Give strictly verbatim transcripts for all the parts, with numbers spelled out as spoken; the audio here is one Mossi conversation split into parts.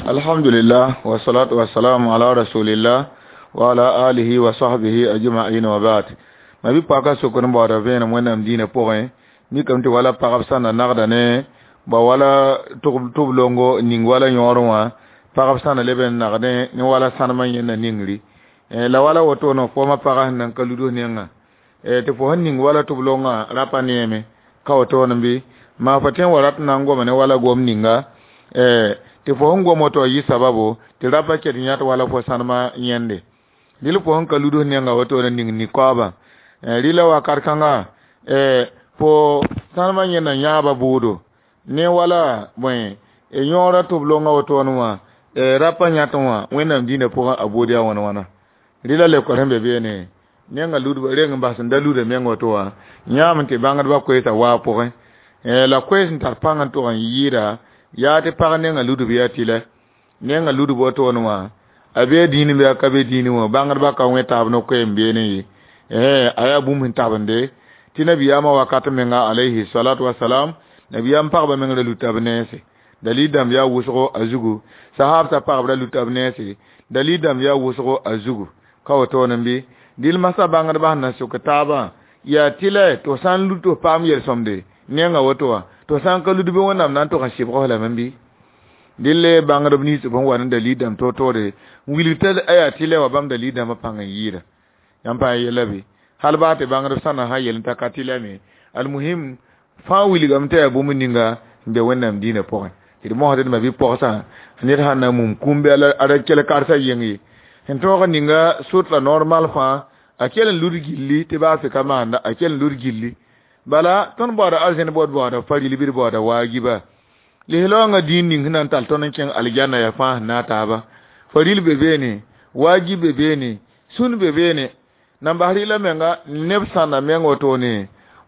Alhamdulillah wa salatu wa salam ala rasulillah wa ala alihi wa sahbihi ajma'in wa ba'd. Ma bi paka sokr n baooda vẽenem wẽnnaam dĩinã pʋgẽ mikame tɩ wala pagb sã na nagda ne ba wala tʋb longo ning wala yõorẽ wã pagb sã na leb n nagdẽ ne wala sãnemã yẽnda ningri. La wala wotone fooma pagã sẽn nan ka luds nengã tɩ fo sẽn ning wala tʋb longã rapa neeme ka wotone bɩ maa fo tõe n wa rat n na n goma ne wala gom ninga tɩ fo sẽn gom woto yɩ sababo tɩ rapa ket yãt wala fo sãnemã yẽnde dɩl fo sẽn ka luds nengã wotone ning nin-kaoobã rɩla wakat kãnga fo sãnemã yẽnda yãaba bʋʋdo ne wala bõe yõorã tʋb longã wotone wã rapa yãtẽ wã wẽnnaam dĩinã pʋgẽ a buud yaa wãna wãna rɩla leokr sẽn be beene nenga ludba reng n bas n da luda meng woto wã yãam tɩ bãngdbã koeesa waa pʋgẽ la koees n tar pãng n tʋg n yɩɩda yaa tɩ pag nenga ludb yaa tɩlɛ nenga ludb wotone wã a bee dĩin bɩ a ka be dĩinẽ wã bãngdbã ka wẽ taab no-koeem beene ye a yaa bũmb sẽn tabende tɩ nabiyaamã wakat menga alayhi salatu wasalam nabiyaam pagba meng ra luta b nense dalil dãmb yaa wʋsgo a zugu sahabsã pagb ra luta b nense dalil dãmb yaa wʋsgo a zugu ka wotone bɩ dɩl masã bãngdbã sẽn na sʋk taabã yaa tɩlɛ tɩ f sã n lut tɩ f paam yel-sõmde nenga woto wã tɩ f sã n ka lud bɩ wẽnnaam na n tʋg n sɩbg lame bɩ dɩl bãngdb nins b sẽn wa ne dalil dãmb toor-toore n wilg t'a yaa tɩlɛ wã bãmb dalil dãmbã pãng n yɩɩda yãmb pa yella bɩ hal baa tɩ bãngdb sã na sã yel t'a ka tɩlɛ me almuhim fãa wilgame t'a yaa bũmb ninga n be wẽnnaam dĩinã pʋgẽ tɩ d mosd d ma bi-pogsã ned sãn na mum kũum bɩ a ra kell karsa yeng ye sẽn tõog ninga sʋtla normal fãa a kell n lud gilli tɩ baa fɩ ka maanda a kell n lud gilli bala tõnd baooda arzẽn bod baooda faril bɩ d baooda waagiba lislaoongã dĩin ning sẽn na n tall tõnd n kẽng aljanna yaa fãa sẽn na a taaba faril be beene waagib be beene sũn be beene nan bas rɩla menga neb sãnda meng wotone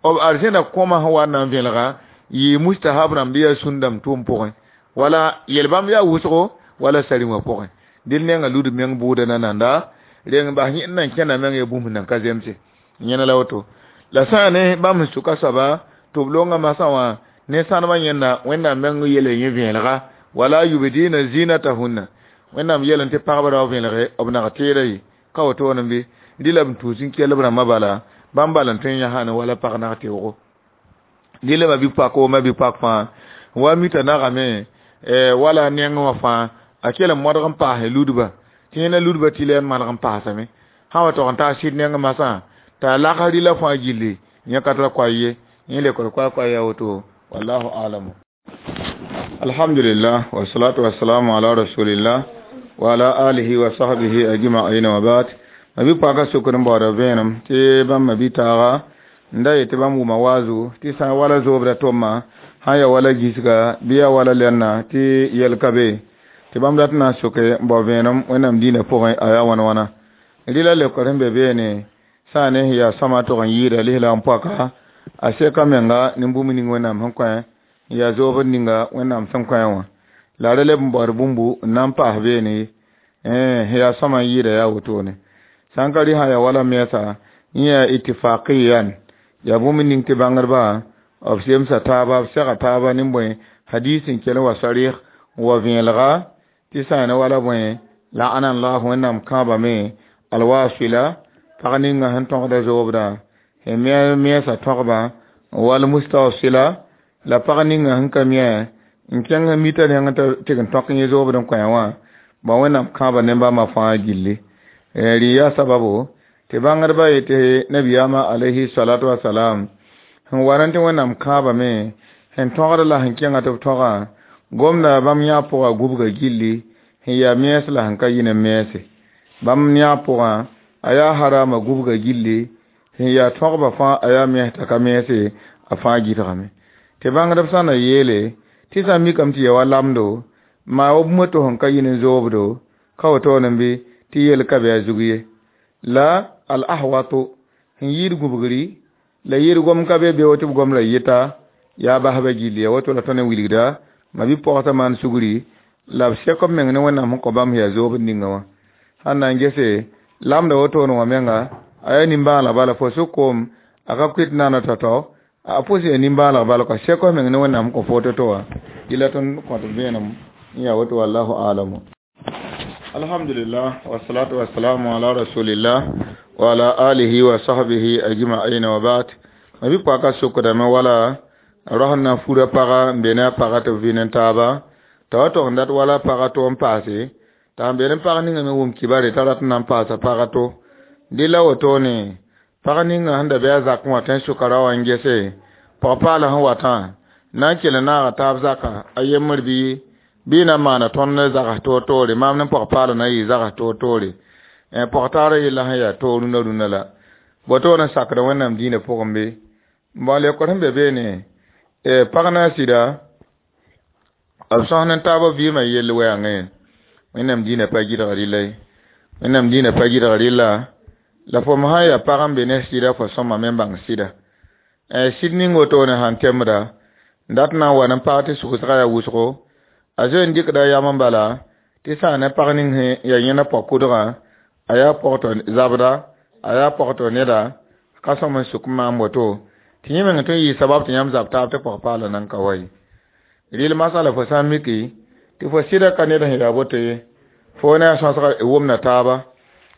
b arzẽna kõma sẽn wa n na n vẽelga yɩ mustahab rãmb yaa sũn dãmb tʋʋm pʋgẽ wala yel-bãmb yaa wʋsgo wala sarim wã pʋgẽ dɩl nenga lud meng bʋʋda nananda reng bas yẽnd nan kẽna meng yaa bũmb nan ka zemse yẽna la woto la sã ne bãmb sẽn sʋka soaba tɩ b longa masã wã ne sãnemã yẽnda wẽnnaam meng yele yẽ vẽelga wala yubdina zinatahunna wẽnnaam yelẽ tɩ pagba ra vẽelge b nag teeda ye ka wotone bɩ rɩla b tũus n kell b rãmbã bala bãmb bal n tõe n yãsã ne wala pag nag teoogo rɩla ma bi-pak o ma bi-pak fãa wa mita nagame wala neng wã fãa a kell n modg n paase ludba tɩ yẽna ludba tɩ la n maneg n paasame sã wa tog n taa sɩd neng masã t'a laks rɩla fãa gilli yẽ ka tara koay ye yẽ lekr koa koay yaa woto wallahu alamu alhamdulillah wa salatu wa salamu ala rasulillah wa ala alihi wa sahbihi ajma'in wa ba'd ma bi paka sokr n baooda vẽenem tɩ bãmb ma bi-taaga n da yetɩ bãmb wʋma waazu tɩ sã n wala zoobda tʋmma sã n ya wala gisga bɩ yaa wala lɛnna tɩ yɛl ka be tɩ bãmb dat n na n soke n bao vẽenem wẽnnaam dĩinã pʋgẽ a yaa wãna wãna rɩla leokr sẽn be beene sã ne sẽn yaa sõma tʋg n yɩɩda lislaam poaka a seka menga ne bũmb ning wẽnnaam sẽn kõ n yaa zoobd ninga wẽnnaam sẽn kõ wã la ra leb n baood bũmbu n na n paas beene sẽn yaa sõma n yɩɩda yaa wotone sã n ka rɩ sã yaa wala mɛɛsa yẽ yaa ittifaqiyan yaa bũmb ning tɩ bãngdbã b semsa taaba b sega taaba ne bõe hadis n kell n wa sarɩs n wa vẽelga tɩ sã ne wala bõe la'ana llahu wẽnnaam kãabame alwasila pag ninga sẽn tõgda zoobdã sẽn mɛɛsa tõgba wal mustawsila la pag ninga sẽn ka mɛ n kẽng mita neng tɩ n tõk yẽ zoobd n kõ wã ba wẽnnaam kãaba ne bãmba fãa gilli rɩ yaa sababu tɩ bãngdbã yetɩ nabiyaamã alayhi salatu wasalam sẽn wa rẽ tɩ wẽnnaam kãabame sẽn tõgd la sẽn kẽnga tɩ b tõgã gomda bãmb yã pʋga gubga gilli sẽn yaa mɛɛs la sẽn ka yɩ ne mɛɛse bãmb yã pʋgã a yaa harama gubga gilli sẽn yaa tõgba fãa a yaa mɛɛs t'a ka mɛɛse a fãa gɩdgame tɩ bãngdb sã na yeele tɩ sã n mikame tɩ ya wa lamdo maa wa bũmb to sẽn ka yɩ ne zoobdo ka wotone bɩ tɩ yel ka bɩ a zug ye la al ahwato sẽn yɩɩd gũbgri la yɩɩd gom ka be beo tɩ b gom la yɩta yaa basba gilli ya woto la tõnd n wilgda ma bi-pogsã maan sugri la b sɛk b meng ne wẽnnaam sẽn kõ bãmb yaa zoobd ninga wã sãn na n gese lamda wotone wã menga a yaa nimbãaneg bala fo sʋk koom a ka kʋɩt nana tao-tao a pʋs yaa nimbãaneg bala ka sɛk f meng ne wẽnnaam sẽn kõ fo to-to wã dɩla tõnd kõt vẽenem Ya woto wallahu alamu. Alhamdulillah wassalatu wassalamu ala rasulillah wa ala alihi wa sahbihi ajma'in wa ba'd. Mabi paka sokdame wala rosẽn na n fura paga n be ne a paga tɩ b vɩ ne taaba t'a wa tog n dat wala paga to n paase t'a n be ne pag ninga me wʋm kibare t'a rat n na n paasa paga to dɩ la wotone pag ninga sẽn da be a zakẽ wã tẽ sʋka ra wã n gese pag-paala sẽn watã na n kell n naaga taab zaka a yembr bɩ bɩ na n maana tõnd ne zags toor-toore maam ne pag-paala na yɩ zags toor-toore pag-taarã yella sẽn yaa toog rũnã rũnã la woto n sakda Wẽnnaam dĩinã pʋgẽ be n lekor sẽn be beene pag na a sɩda b sõs ne taabã vɩɩmã yell wɛɛngẽ Wẽnnaam dĩinã pa gɩdg rɩla ye Wẽnnaam dĩinã pa gɩdg rɩla la fo me sã n yaa pag n be ne sɩda fo sõmame n bãng sɩda sɩd ning wotone sãn temda dat na n wa n paag tɩ sʋgsga yaa wʋsgo a zoe n dɩkda yam n bala tɩ sã ne pag ning sẽn yaa yẽna pɔg-kʋdgã a yaa pɔgtɔ zabda a yaa pɔgtɔ neda ka sõm n sʋk n maan woto tɩ yẽ meng tõe n yɩ sabab tɩ yãmb zab taab tɩ pɔg-paala nan ka wa ye rɩl masala fo sã n miki tɩ fo sɩda ka ned sẽn yaa woto ye fo ne a sõsga wʋmda taaba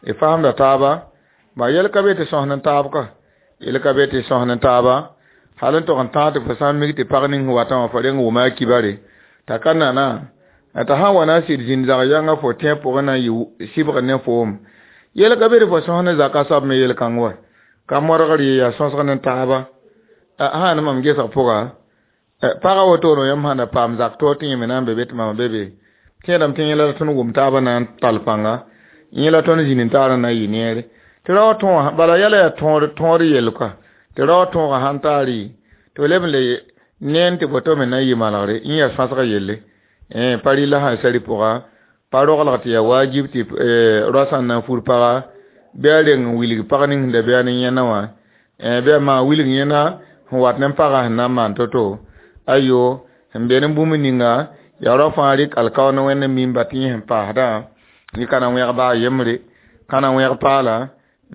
y fasemda taaba ba yɛl ka be tɩ sõs ne taab ka yɛl ka be tɩ sõs ne taaba hal n tog n tãag tɩ fo sã n mik tɩ pag ning watã wã fo reng wʋma a kibare t'a ka nana t'a sã n wa na n sɩd zĩnd zag yãnga fo tẽ pʋgẽ na n yɩ sɩbgr ne foom yɛl ka be tɩ fo sõs ne zaka soab me yel-kãng wa ka modgr ye yaa sõsg ne taaba sã ne mam gesg pʋga pagã wotone yãmb sãn da paam zak toor tɩ yẽ me na n be be tɩ mam be be tẽedame tɩ yẽ la tõnd wʋm taabã na n tall pãnga yẽ la tõnd zĩnd n taarã na n yɩ neere tɩ rao tõogã bala yɛla yaa tõod yell koa tɩ rao tõogã sãn taar tɩ b leb n le neen tɩ boto me na n yɩ malgre yẽ yaa sõsg yelle pa rɩla sã n sari pʋga pa roglg tɩ yaa wajib tɩ rao sã n na n fur paga bɩ a reng n wilg pag ning sẽn da be a ne yẽna wã bɩ a maan wilg yẽna sẽn wat ne pagã sẽn na n maan to-to ayo sẽn be ne bũmb ninga yaa rao fãa rɩk alkaoor ne Wẽnd n mimba tɩ yẽ sẽn paasdã yẽ ka na wẽg baa yembre ka na wẽg paala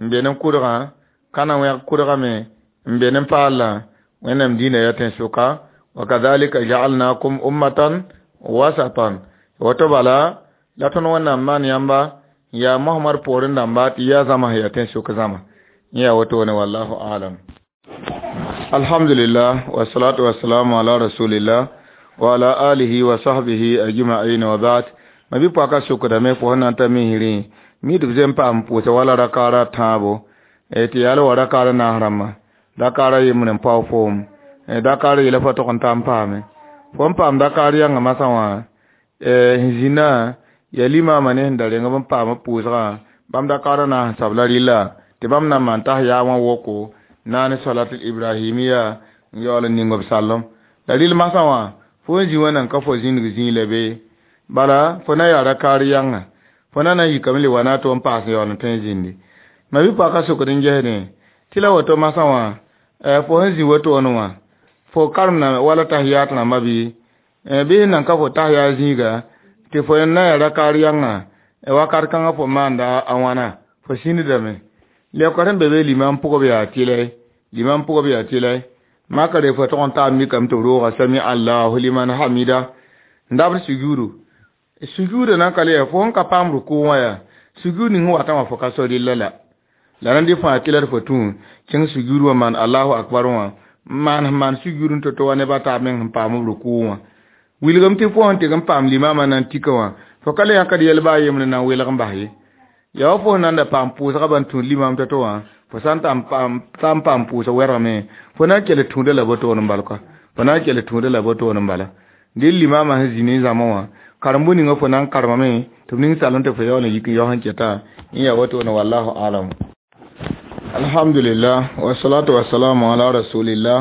n be ne kʋdgã ka na wẽg kʋdgã me n be ne paala Wẽnnaam dĩinã yaa tẽn-sʋka wa kadhalika ja'alnakum ummatan wasatan woto bala la tõnd Wẽnnaam maan yãmba yaa Mohamad poorẽ dãmba tɩ yaa zãma sẽn yaa tẽn-sʋk zãma yẽ yaa wotone wallahu alam. Alhamdulillah wassalatu wassalamu ala rasulillah wa ala alihi wa sahbihi ajma'in wa ba'd. Mabi paka sokdame fo sẽn na n ta misrẽ mi tɩ b zem paam pʋʋsa wala rakaara tãabo tɩ yaa la wa rakaara naas rãmba dakaara yembr n pao foom dakaara yela fo tog n ta n paame fo n paam dakaar yãnga masã wã sẽn zĩnã yaa limaamã ne sẽn da reng b n paam b pʋʋsgã bãmb dakaarã naas n sabla rɩlla tɩ bãmb na n maan tas yaa wã woko naane salatul ibrahimiya n yaool n ning b sallem la rɩl masã wã fo n zĩ wã nan ka fo zĩndg zĩig la be bala fo na yaa rakaar yãnga fo na na n yikame le wa na a to n paas n yaool n tõe n zĩndi ma bɩ paka sokd n gesdẽ tɩ la woto masã wã fo sẽn zĩ wotone wã fo karemda wala tahiyat rãmba bɩ bɩ sẽn nan ka fo tahiya zĩiga tɩ fo na yaa rakaar yãnga wakat kãngã fo maanda a wãna fo sĩndame lekor sẽn be be limam pʋgb yaa tɩlɛ limam pʋgb yaa tɩlɛ makre fo tog n taab mikame tɩ b rooga sami allahu liman hamida n dabd sujuudu sujuuda nan ka le yaa fo sẽn ka paam rukʋ wã yaa sujuud ning sẽn watã wã fo ka so rɩlla la la rãnd fãa tɩ la d fo tũ kẽng sujuud wã maan allahu akbar wã maan sẽn maan sujuud n to-to wa neb a taab meng sẽn paam b rukʋ wã wilgame tɩ fo sẽn tɩg n paam limaamã na n tika wã fo ka le yãkd yɛl baa yembre na n welg n bas ye yaa wa fo sẽn na n da paam pʋʋsgã ban tũud limaam to-to wã fo sã n ta n paam pʋʋsg wɛrgame fo na n kell tũuda la botoon n bal kɔa fo na n kell tũuda la botoon n bala dɩ limaamã sẽn zĩ ne zãma wã karem-bũ ninga fo na n karemame tɩ b ning salem tɩ fo yaool n yik n yao sẽn keta yẽ yaa wotone wallahu alam. Alhamdulillah wassalatu wassalamu ala rasulillah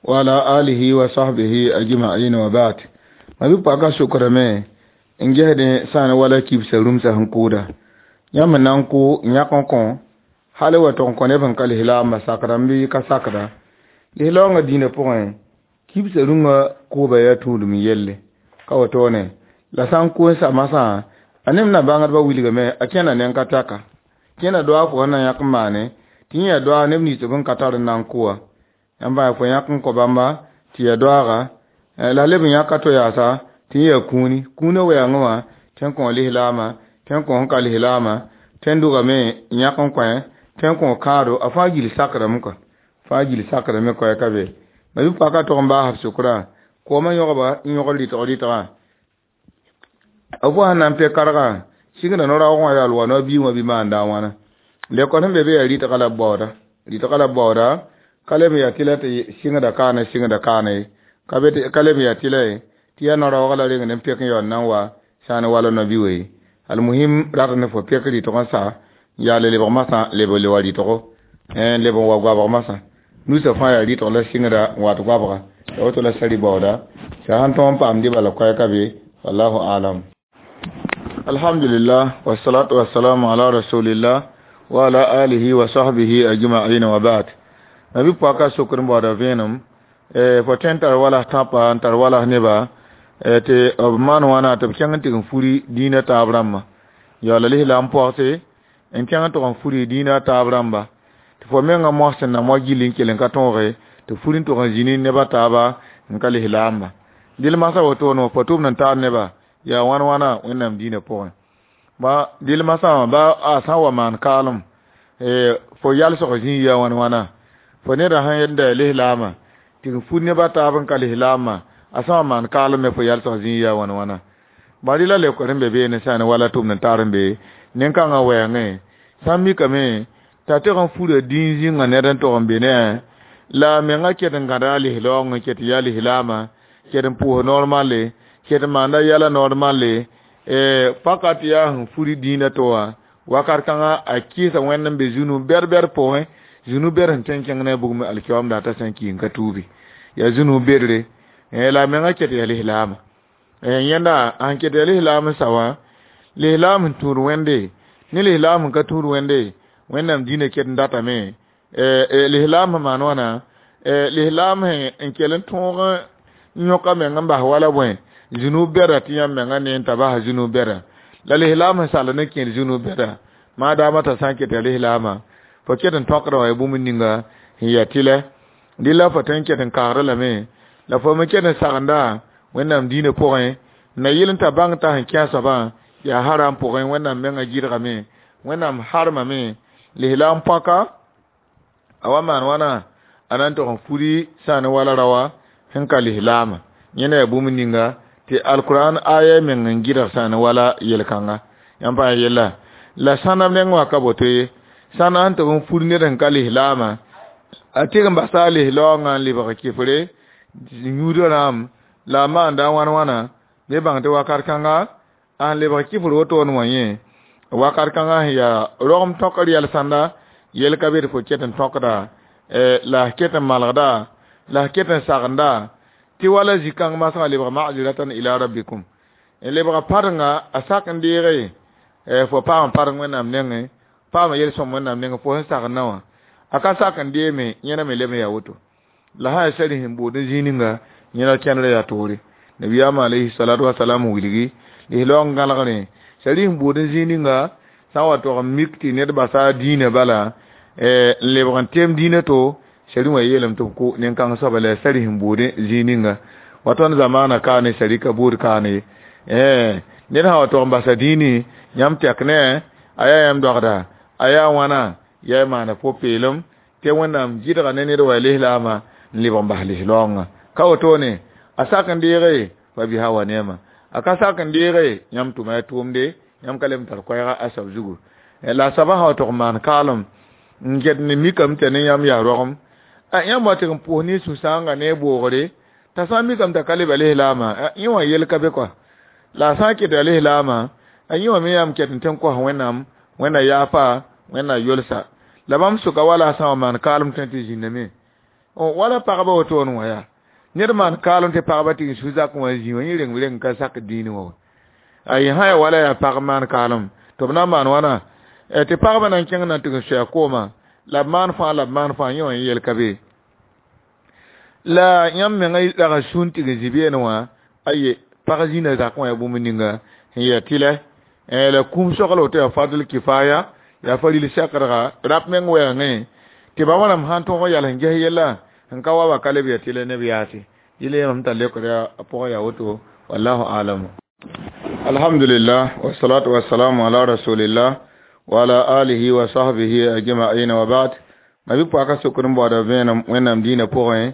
wa ala alihi wa sahbihi ajma'in wa ba'd. Ma bɩ paka sokrame n gesdẽ sã n wala kibsa rũmsã sẽn kʋʋda yãmb na n kʋ yãk n kõ hal wa tog n kõ neb sẽn ka lislaambã sakdame bɩ ka sakda lislaoongã dĩinã pʋgẽ kibsa rũngã kʋʋba yaa tũudum yelle ka wotone la sã n kʋ n sa masã a neb na bãngdbã wilgame a kẽna neng ka taka kẽna doa fo sẽn na yãk n maane tɩ yẽ yaa doaag neb nins b sẽn ka tar n na n kʋ wã yãmb bã fo yãk n kõ bãmba tɩ yaa doaaga la leb n yãka to yaasa Tɩ yã yaa kũuni kũunã wɛɛngẽ wã tɩ n kõ lislaamã tɩ n kõ sẽn ka lislaamã tɩ n dʋgame n yãk n kõ tɩ n kõ kãado a fãa gill sakrame kɔa fãa gill sakrame koɛɛ ka be ma bi-paka tog n baas b sʋkrã koomã yõgba n yõgd rɩtg rɩtgã a fo sẽn na n pɛ kargã sɩngda no-raoog wã yaa loa no-biig wã bɩ maanda a wãna lekor sẽn be be yaa rɩtga la b baooda rɩtga la b baooda ka leb n yaa tɩ la tɩ sɩngda kaane sɩngda kaane ye ka leb n yaa tɩ la ye tɩ yaa no-raoogã la reng n pek n yaool na n wa sã n wala no-bi ye almuhim rat ne fo pek rɩtg n sa n yaal lebg masã leb le wa rɩtgo n leb n wa goabg masã nusa fãa yaa rɩtg la sɩngda n wat goabga ya woto la sari baooda sa sãn tõog n paam dɩba la koɛɛka be wallahu alam. Alhamdulillah wassalatu wassalamu ala rasulillah wa ala alihi wa sahbihi ajma'in wa ba'd. Nabi paka sokr n baooda vẽenem fo tõe n tar wala tãpa n tar wala neba tɩ b maan wãna tɩ b kẽng n tɩg n furi dĩinã taab rãmba yaoola lislaam pɔgse n kẽng n tʋg n furi dĩinã taab rãmba tɩ fo mengã mos sẽn na moa gill n kell n ka tõoge tɩ furi n tʋg n zĩni neba taaba n ka lislaamba dɩl masã wotone wã fo tʋmd n taar neba yaa wãn wãna wẽnnaam dĩinã pʋgẽ ba dɩl masã wã ba a sã n wa maan kaalem fo yalsg zĩig yaa wãn wãna fo neda sẽn da lislaamã tɩ n fur neba taab n ka lislaamã a sã wa maan kaalem me fo yalsg zĩig yaa wãn wãna bari la lekor n be beene sã n wala tʋmd n taar n be nin-kãngã wɛɛngẽ sã n mikame t'a tɩg n fura dĩin zĩnga ned n tʋg n be ne la a mengã ket n gãda a lislaoongẽ ket n yaa lislaamã ket n pʋʋs normale ket n maanda yɛla normale paka tɩ yaa sẽn furi dĩinã to wã wakat kãngã a kɩɩsa wẽnd n be zũnu bɛd-bɛd pʋgẽ zũnu bɛd sẽn tõe n kẽng ne a bugum alkiyoamda t'a sã n ki n ka tuubi yaa zũnu bedre la a mengã ket yaa lislaamã yẽnda sẽn ket yaa lislaam n sa wã lislaam sẽn tũud wẽnde ne lislaam sẽn ka tũud wẽnde wẽnnaam dĩinã ket n datame lislaam sẽn maan wãna lislaam sẽn kell n tõog n yõka meng n bas wala bõe zũnu bɛda tɩ yãmb mengã ne n ta basa zũnu bɛda la lislaam sẽn sall ne kẽer zũnu bɛda maadaama t'a sã n ket yaa lislaamã fo ket n tõkda wã ya bũmb ninga sẽn yaa tɩlɛ dɩ la fo tõe n ket n kaagd lame la fo me ket n sagenda wẽnnaam dĩinã pʋgẽ na yɩl n ta bãng t'a sẽn kẽ a soabã yaa haram pʋgẽ wẽnnaam mengã gɩdgame wẽnnaam harmame lislaam pãka a wa maan wãna a na n tʋg n furi sã ne wala raoã sẽn ka lislaamã yẽna yaa bũmb ninga tɩ alkurãn aya meng n gɩdg sã ne wala yel-kãnga yãmb pa yella la sãna neng wã ka boto ye sãna sẽn tʋg n fur ned sẽn ka lislaamã a tɩg n basa a lislaoongã n lebg kɩfre yũudã rãmb la a maanda wãn wãna be bãng tɩ wakat kãnga a sẽn lebg kɩfr wotone wã yẽ wakat kãngã sẽn yaa rogem tõkr yɛl sãnda yel ka be tɩ fo ket n tõkda la f ket n malgda la f ket n sagenda tɩ wala zĩ-kãng masã lebg ma'ziratan ila rabbikum n lebga padengã a sak n deege fo paam padeng wẽnnaam nengẽ paama yel-sõm wẽnnaam nengẽ fo sẽn sagenda wã a ka sak n deeme yẽna me leb n yaa woto la sã yaa sari sẽn bood n zĩig ninga yẽna kẽndrã yaa toore nabiyaamã alayhi salatu wasalam wilgi lislaoong gãlgrẽ sari sẽn bood n zĩig ninga sã n wa tog n mik tɩ ned basa a dĩinã bala n lebg n tem dĩinã to sari wã yeelame tɩ b kʋ nin-kãng soaba la yaa sari sẽn bood zĩig ninga wa tõnd zamaana kaane sari ka bood kaane ye ned sã wa tog n basa dĩini yãmb tɛk ne a yaa yãmb dɔgda a yaa wãna yaa maana po-peelem tɩ wẽnnaam gɩdga ne ned wa lislaamã n lebg n bas lislaoongã ka wotone a sak n deege fa biha wa neema a ka sak n deege yãmb tʋma ya tʋʋmde yãmb ka leb n tar koɛɛga a soab zugu la a soabã sã wa tog n maan kaalem n get ne mikame tɩ ne yãmb yaa rogem a yãmb wa tɩg n pʋʋs ne sũ-sãoongã ne boogre t'a sã n mikame t'a ka leba lislaamã yẽ wã yel ka be kɔa la a sã n ket yaa lislaamã a yẽ wã me yãmb ket n tɩ n kos wẽnnaam wẽnna yaafa wẽnna yolsa la bãmb sʋka wala a sã n wa maan kaalem tõe tɩ zĩndame wala pagba wotone wã yaa ned maan kaalem tɩ pagba tɩ n su zakẽ wã zĩ wã yẽ reng reng ka sak dĩinẽ wã ayi sã yaa wala yaa pag maan kaalem tɩ b na n maan wãna tɩ pagba na n kẽng na n tɩg n soa koomã la b maan fãa la b maan fãa yẽ wã yel ka be la yãmb mengã rag n sũn tɩg n zĩ beene wã aye pag zĩnã zakẽ wã yaa bũmb ninga sẽn yaa tɩlɛ la kũum sogl woto yaa fadl kifaya yaa fa ril sɛkdga rap meng wɛɛngẽ tɩ ba wãnam sãn tõog n yals n ges yella n ka wa wa ka leb yaa tɩlɛ neb yaase yɩl yẽmam t'a lekd a pʋgẽ yaa woto. Wallahu alam. Alhamdulillah, wassalatu wassalamu ala rasulillah wa ala alihi wa sahbihi ajma'in wa ba'd. Ma bi paka sokr n baooda vẽenem Wẽnnaam dĩinã pʋgẽ,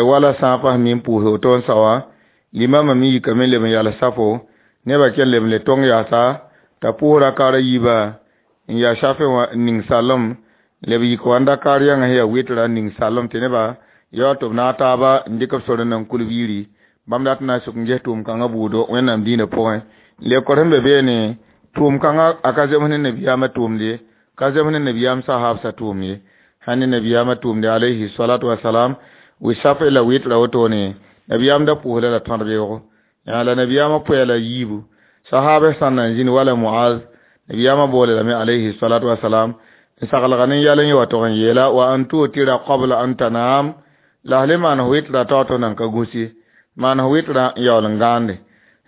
wala sã n fas mi n pʋʋs woto n sao, limamã me yikame n leb n yals safo, nebã kell leb n le tong yaasa t'a pʋʋs rakaar a yiibã n yaa shafe wã n ning salem, leb yik wa n dakaar yãngã sẽn yaa wɩtra n ning salem tɩ nebã yaool tɩ b naag taaba n dɩk b sor n nan kulb yiri. Bãmb dat n na n suk n ges tʋʋm-kãngã buudo Wẽnnaam dĩinã pʋgẽ. Lekor sẽn be beene tʋʋm-kãngã a ka zems ne nabiyaamã tʋʋmd ye, ka zems ne nabiyaam sahaabsã tʋʋmd ye. Sãn ne nabiyaamã tʋʋmde alayhi salatu wasalam, wɩ safe la wɩtra wotone, nabiyaam da pʋʋsda la tõd beoogo. La nabiyaamã pʋya la yiibu. Sahaabã sã n na n zĩnd wala Muaz, nabiyaamã boole lame alayhi salatu wasalam n saglga ne yɛl n yẽ wa tog n yeela wa an tutira qabla an tanam, la le maan wɩtra tao tɩ nan ka gũs ye, maan wɩtra n yaool n gãande.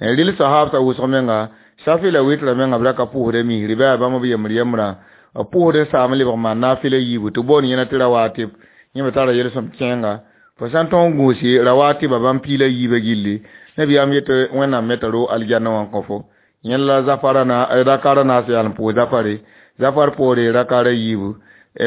Rɩl sahaabsã wʋsg menga, safi la wɩtra menga b ra ka pʋʋsda misri bɩ yaa bãmb b yembr yembrã, b pʋʋsd n saam lebg maan naafɩla yiibu tɩ boond yẽna tɩ rawatib, yẽ me tara yel-sõm kẽenga. Fo sã n tõog n gũusi rawatiba bãmb piila yiibã gilli, nabiyaam yetɩ Wẽnnaam me t'a ro aljanna wã n kõ fo. Yẽl la zafara na rakara naas yaal n pʋʋs zafare, zafar poore rakara yiibu,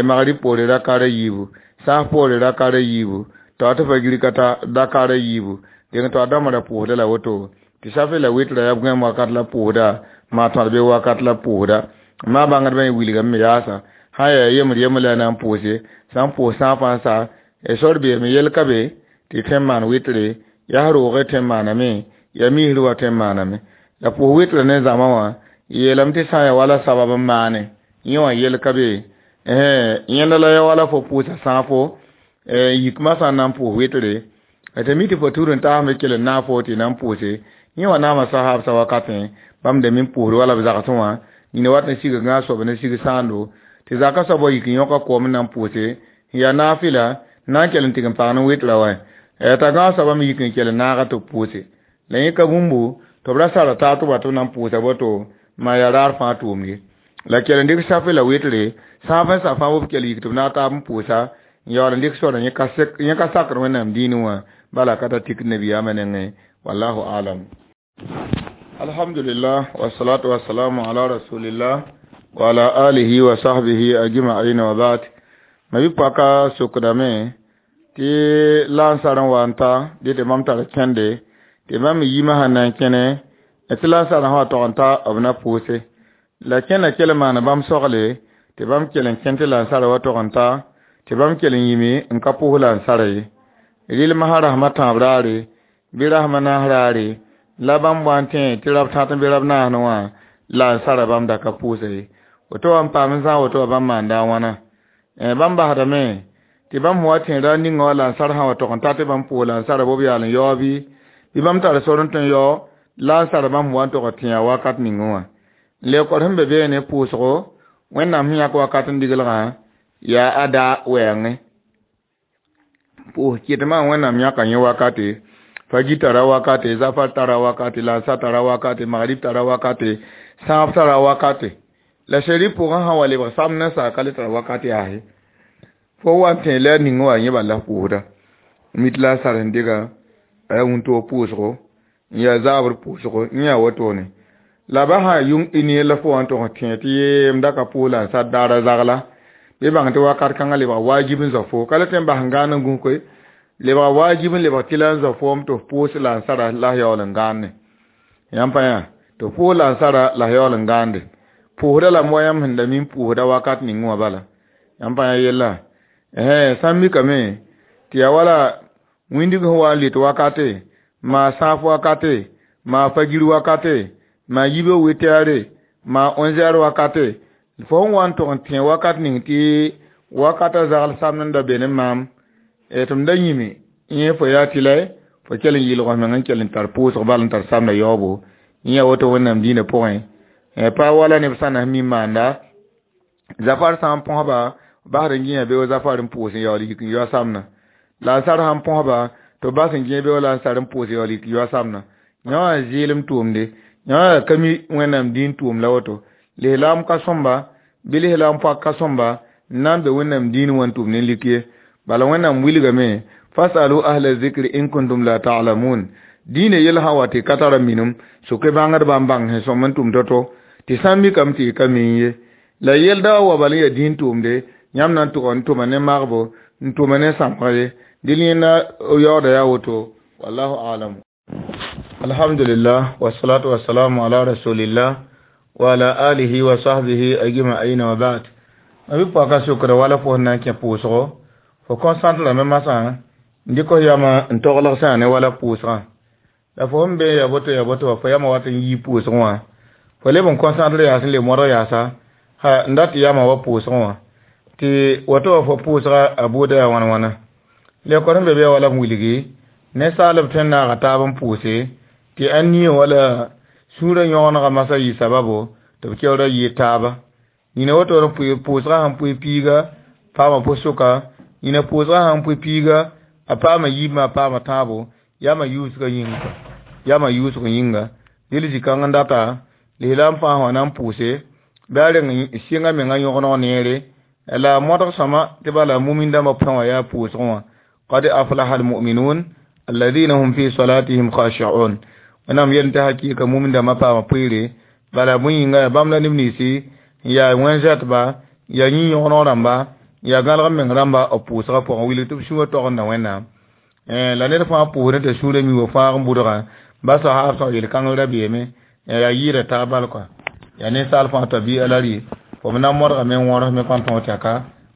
magrib poore rakara yiibu, sãas poore rakara yiibu, tɩ tɩ fagir ka ta dakara yiibu. Dẽng tɩ a dãmbã ra pʋʋsda la woto, tɩ safe la wɩtra yaa b gãem wakat la pʋʋsda, maa tõd be wakat la pʋʋsda. Maa bãngdbã yẽ wilgame me yaasa, sã n yaa yembr yembr la a na n pʋʋse, sã n pʋʋs sãafã n sa, sor beeme yel ka be tɩ tõe n maan wɩtre, yaa roogẽ tõe n maaname, yaa misr wa tõe n maaname. La pʋʋs wɩtra ne zãma wã, yeelame tɩ sã n yaa wala sabab n maane, yẽ wã yel ka be. Yẽnda la yaa wala fo pʋʋsa sãafo, yikmã sã n na n pʋʋs wɩtre, tɩ mi tɩ fo tur n taas me kell n naag fo tɩ na n pʋʋse, yẽ wã naama sahaabsã wakatẽ, bãmb da min pʋʋsd wala b zagsẽ wã, nina wat n sig gãag soab ne sig sãando, tɩ zaka soab wa yik n yõka koom n na n pʋʋse, n yaa naafɩla, na n kell n tɩg n paag ne wɩtra wã. T'a gãag soabã me yik n kell n naaga tɩ b pʋʋse. La yẽ ka bũmbu, tɩ b ra sara taab tɩ b wa tɩ b na n pʋʋsa boto, maa yaa raar fãa tʋʋmd ye. La kell n dɩk safe la wɩtre, sãaf n sa fãa b kell yik tɩ b naag taab n pʋʋsa, n yaool n dɩk sora yẽ ka sakr Wẽnnaam dĩinẽ wã, bala ka ta tik nabiyaamã nengẽ. Wallahu alam. Alhamdulillah, wassalatu wassalamu ala rasulillah wa ala alihi wa sahbihi ajma'in wa ba'd. Ma bi paka sokdame tɩ lansar n wa n ta dɩ tɩ mam tar kẽnde, tɩ bãmb yimã sẽn na n kẽne, tɩ lansar sã wa tog n ta b na pʋʋse. La kẽna kell n maan bãmb sogle, tɩ bãmb kell n kẽn tɩ lansarã wa tog n ta, tɩ bãmb kell n yĩme n ka pʋʋs lansarã ye. Rɩl masã rasmã tãab raare, bɩ rasmã naas raare, la bãmb wa n tẽ tɩ rab tãt n be rab naasẽ wã, lansarã bãmb da ka pʋʋsa ye. Woto wã n paam n zãag woto wã bãmb maanda a wãna. Bãmb basdame tɩ bãmb sẽn wa tẽ ra ninga wã lansar sã wa tog n ta tɩ bãmb pʋʋs lansarã bɩ b yaal n yaoog bɩ, bɩ bãmb tar sor n tõe n yao lansarã bãmb sẽn wa n tog n tẽ wakat ningẽ wã. Lekor sẽn be beene pʋʋsgo, Wẽnnaam sẽn yãk wakat n diglgã yaa ada wɛɛngẽ. Pʋʋs kɩtmã Wẽnnaam yãka yẽ wakate, fagir tara wakate, zafar tara wakate, lansar tara wakate, magrib tara wakate, sãab tara wakate. La sherif pʋgẽ sã wa lebg samd n sa ka le tara wakate yaa ye. Fo wa n tẽ la ning wã yẽ bala la pʋʋsda. Mit la sar n dɩga a yaa wũntoog pʋʋsgo, n yaa zaabr pʋʋsgo, yẽ yaa wotone. La ba sã yʋng ini la fo wa n tog n tẽ tɩ yee m da ka pʋʋs la n sar daara zagla, bɩ bãng tɩ wakat kãngã lebga wajib n zao fo. Ka le tõe n bas n gãan n gũs koe, lebga wajib n lebg tɩ la n zao foom tɩ f pʋʋs la n sara la f yaool n gãande. Yãmb pa yã, tɩ f pʋʋs la n sara la f yaool n gãande. Pʋʋsda lame wa yãmb sẽn da mi n pʋʋsda wakat ning wã bala. Yãmb pa yã yella. Sã n mikame tɩ yaa wala wĩndg sẽn wa n lɩt wakate, maa sãaf wakate, maa fagir wakate, maa yibg wɩtɛɛre, maa onzɛɛr wakate, fo sẽn wa n tog n tẽ wakat ning tɩ wakata zagl samd n da be ne maam, tɩ m da yĩme yẽ fo yaa tɩ la fo kell n yɩlg f meng n kell n tar pʋʋsg bal n tar samdã yaoobo. Yẽ yaa woto Wẽnnaam dĩinã pʋgẽ. Pa wala neb sã na mi maanda, zafar sã n põsba, basd n gĩya beoog zafar n pʋʋs n yaool yik n yao samdã. Lansar sã n põsba, tɩ b bas n gẽ beoog lansar n pʋʋs yaool yik n yao samdã. Yã wã zɩɩlem tʋʋmde, yã wã yaa ka mi Wẽnnaam dĩin tʋʋm la woto. Lislaam ka sõmba, bɩ lislaam poak ka sõmba, n na n be Wẽnnaam dĩin wã n tʋm ne lik ye. Bala Wẽnnaam wilgame, fasalu ahla zikri in kuntum la ta'lamun. Dĩinã yell sã n wa tɩ ka tara minim soke bãngdbã n bãng sẽn sõm n tʋm to-to tɩ sã n mikame tɩ y ka mii ye la yelda wa bal n yaa dĩin tʋʋmde yãmb na n tʋg n tʋma ne magbo n tʋma ne sãmg ye dɩl yẽnda yaooda yaa woto wallahu alam. Alhamdulillah wassalatu wassalamu ala rasulillah wa ala alihi wa sahbihi ajma'in wa ba'd. Mabi pɔka sokra wala fo na n kẽ pʋʋsgo fo concentre rame masã n dɩk f yama n toglg sã ne wala pʋʋsgã la fo sẽn be ya boto ya boto wa fo yama wat n yii pʋʋsgẽ wã fo leb n concentre yaas n le modg yaasa ha n dat yama wa pʋʋsgẽ wã tɩ woto wa fo pʋʋsga a buuda yaa wãn wãna lekor sẽn be be wala b wilgi ninsaalb tõe n naaga taab n pʋʋse tɩ a nie wala sũurã yõgenega masã yɩ sababo tɩ b keoora yɩɩ taaba nina woto pʋʋsgã sẽn pʋɩ piiga paama pʋ-sʋka nina pʋʋsgã sẽn pʋɩ piiga a paama yiibmã a paama tãabo yama yuusgã yĩnga yama yuusg yĩnga dɩl zĩ-kãng n data lislaam fãa wã na n pʋʋse bɩ a reng sɩngã menga yõgeneg neere la modg sõma tɩ bala mumin dãmbã pʋgẽ wã yaa pʋʋsgẽ wã qad aflaha almuminun alladhina hum fi salatihim khashi'un wẽnnaam yel tɩ hakɩɩka mumin dãmbã paama pʋɩɩre bala bõe yĩnga yaa bãmb la neb ninsi n yaa wẽn-zɛtba yaa yĩ-yõgeneg rãmba yaa gãlg meng rãmba b pʋʋsgã pʋgẽ wilg tɩ b sũurã togenda wẽnnaam la ned fãa pʋʋsdẽ t'a sũurã mi wa fãag n budgã ba sahaab sã yel-kãngr ra beeme yaa yɩɩda taab bal kɔa yaa ninsaal fãa tabia la rɩ fo b na n modgame n wõrs me kõn tõog tɛka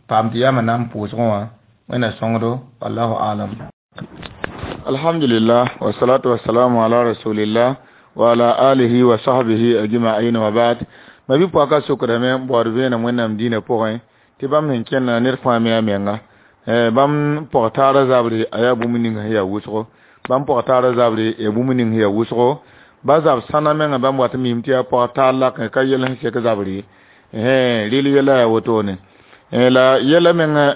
paam tɩ yama na n pʋʋsgẽ wã wẽnna sõngdo wallahu alam. Alhamdulillah wassalatu wassalamu ala rasulillah wa ala alihi wa sahbihi ajma'in wa ba'd. Mabi pɔka sokdame n baood vẽenem wẽnnaam dĩinã pʋgẽ tɩ bãmb sẽn kẽnda ned fãa me a menga bãmb pɔg taara zabre a yaa bũmb ning sẽn yaa wʋsgo bãmb pɔg taara zabre yaa bũmb ning sẽn yaa wʋsgo ba zab sãna menga bãmb wat n mim tɩ yaa pɔg taar lak ka yɛl sẽn sek zabre rɩl yɛla yaa wotone la yɛla menga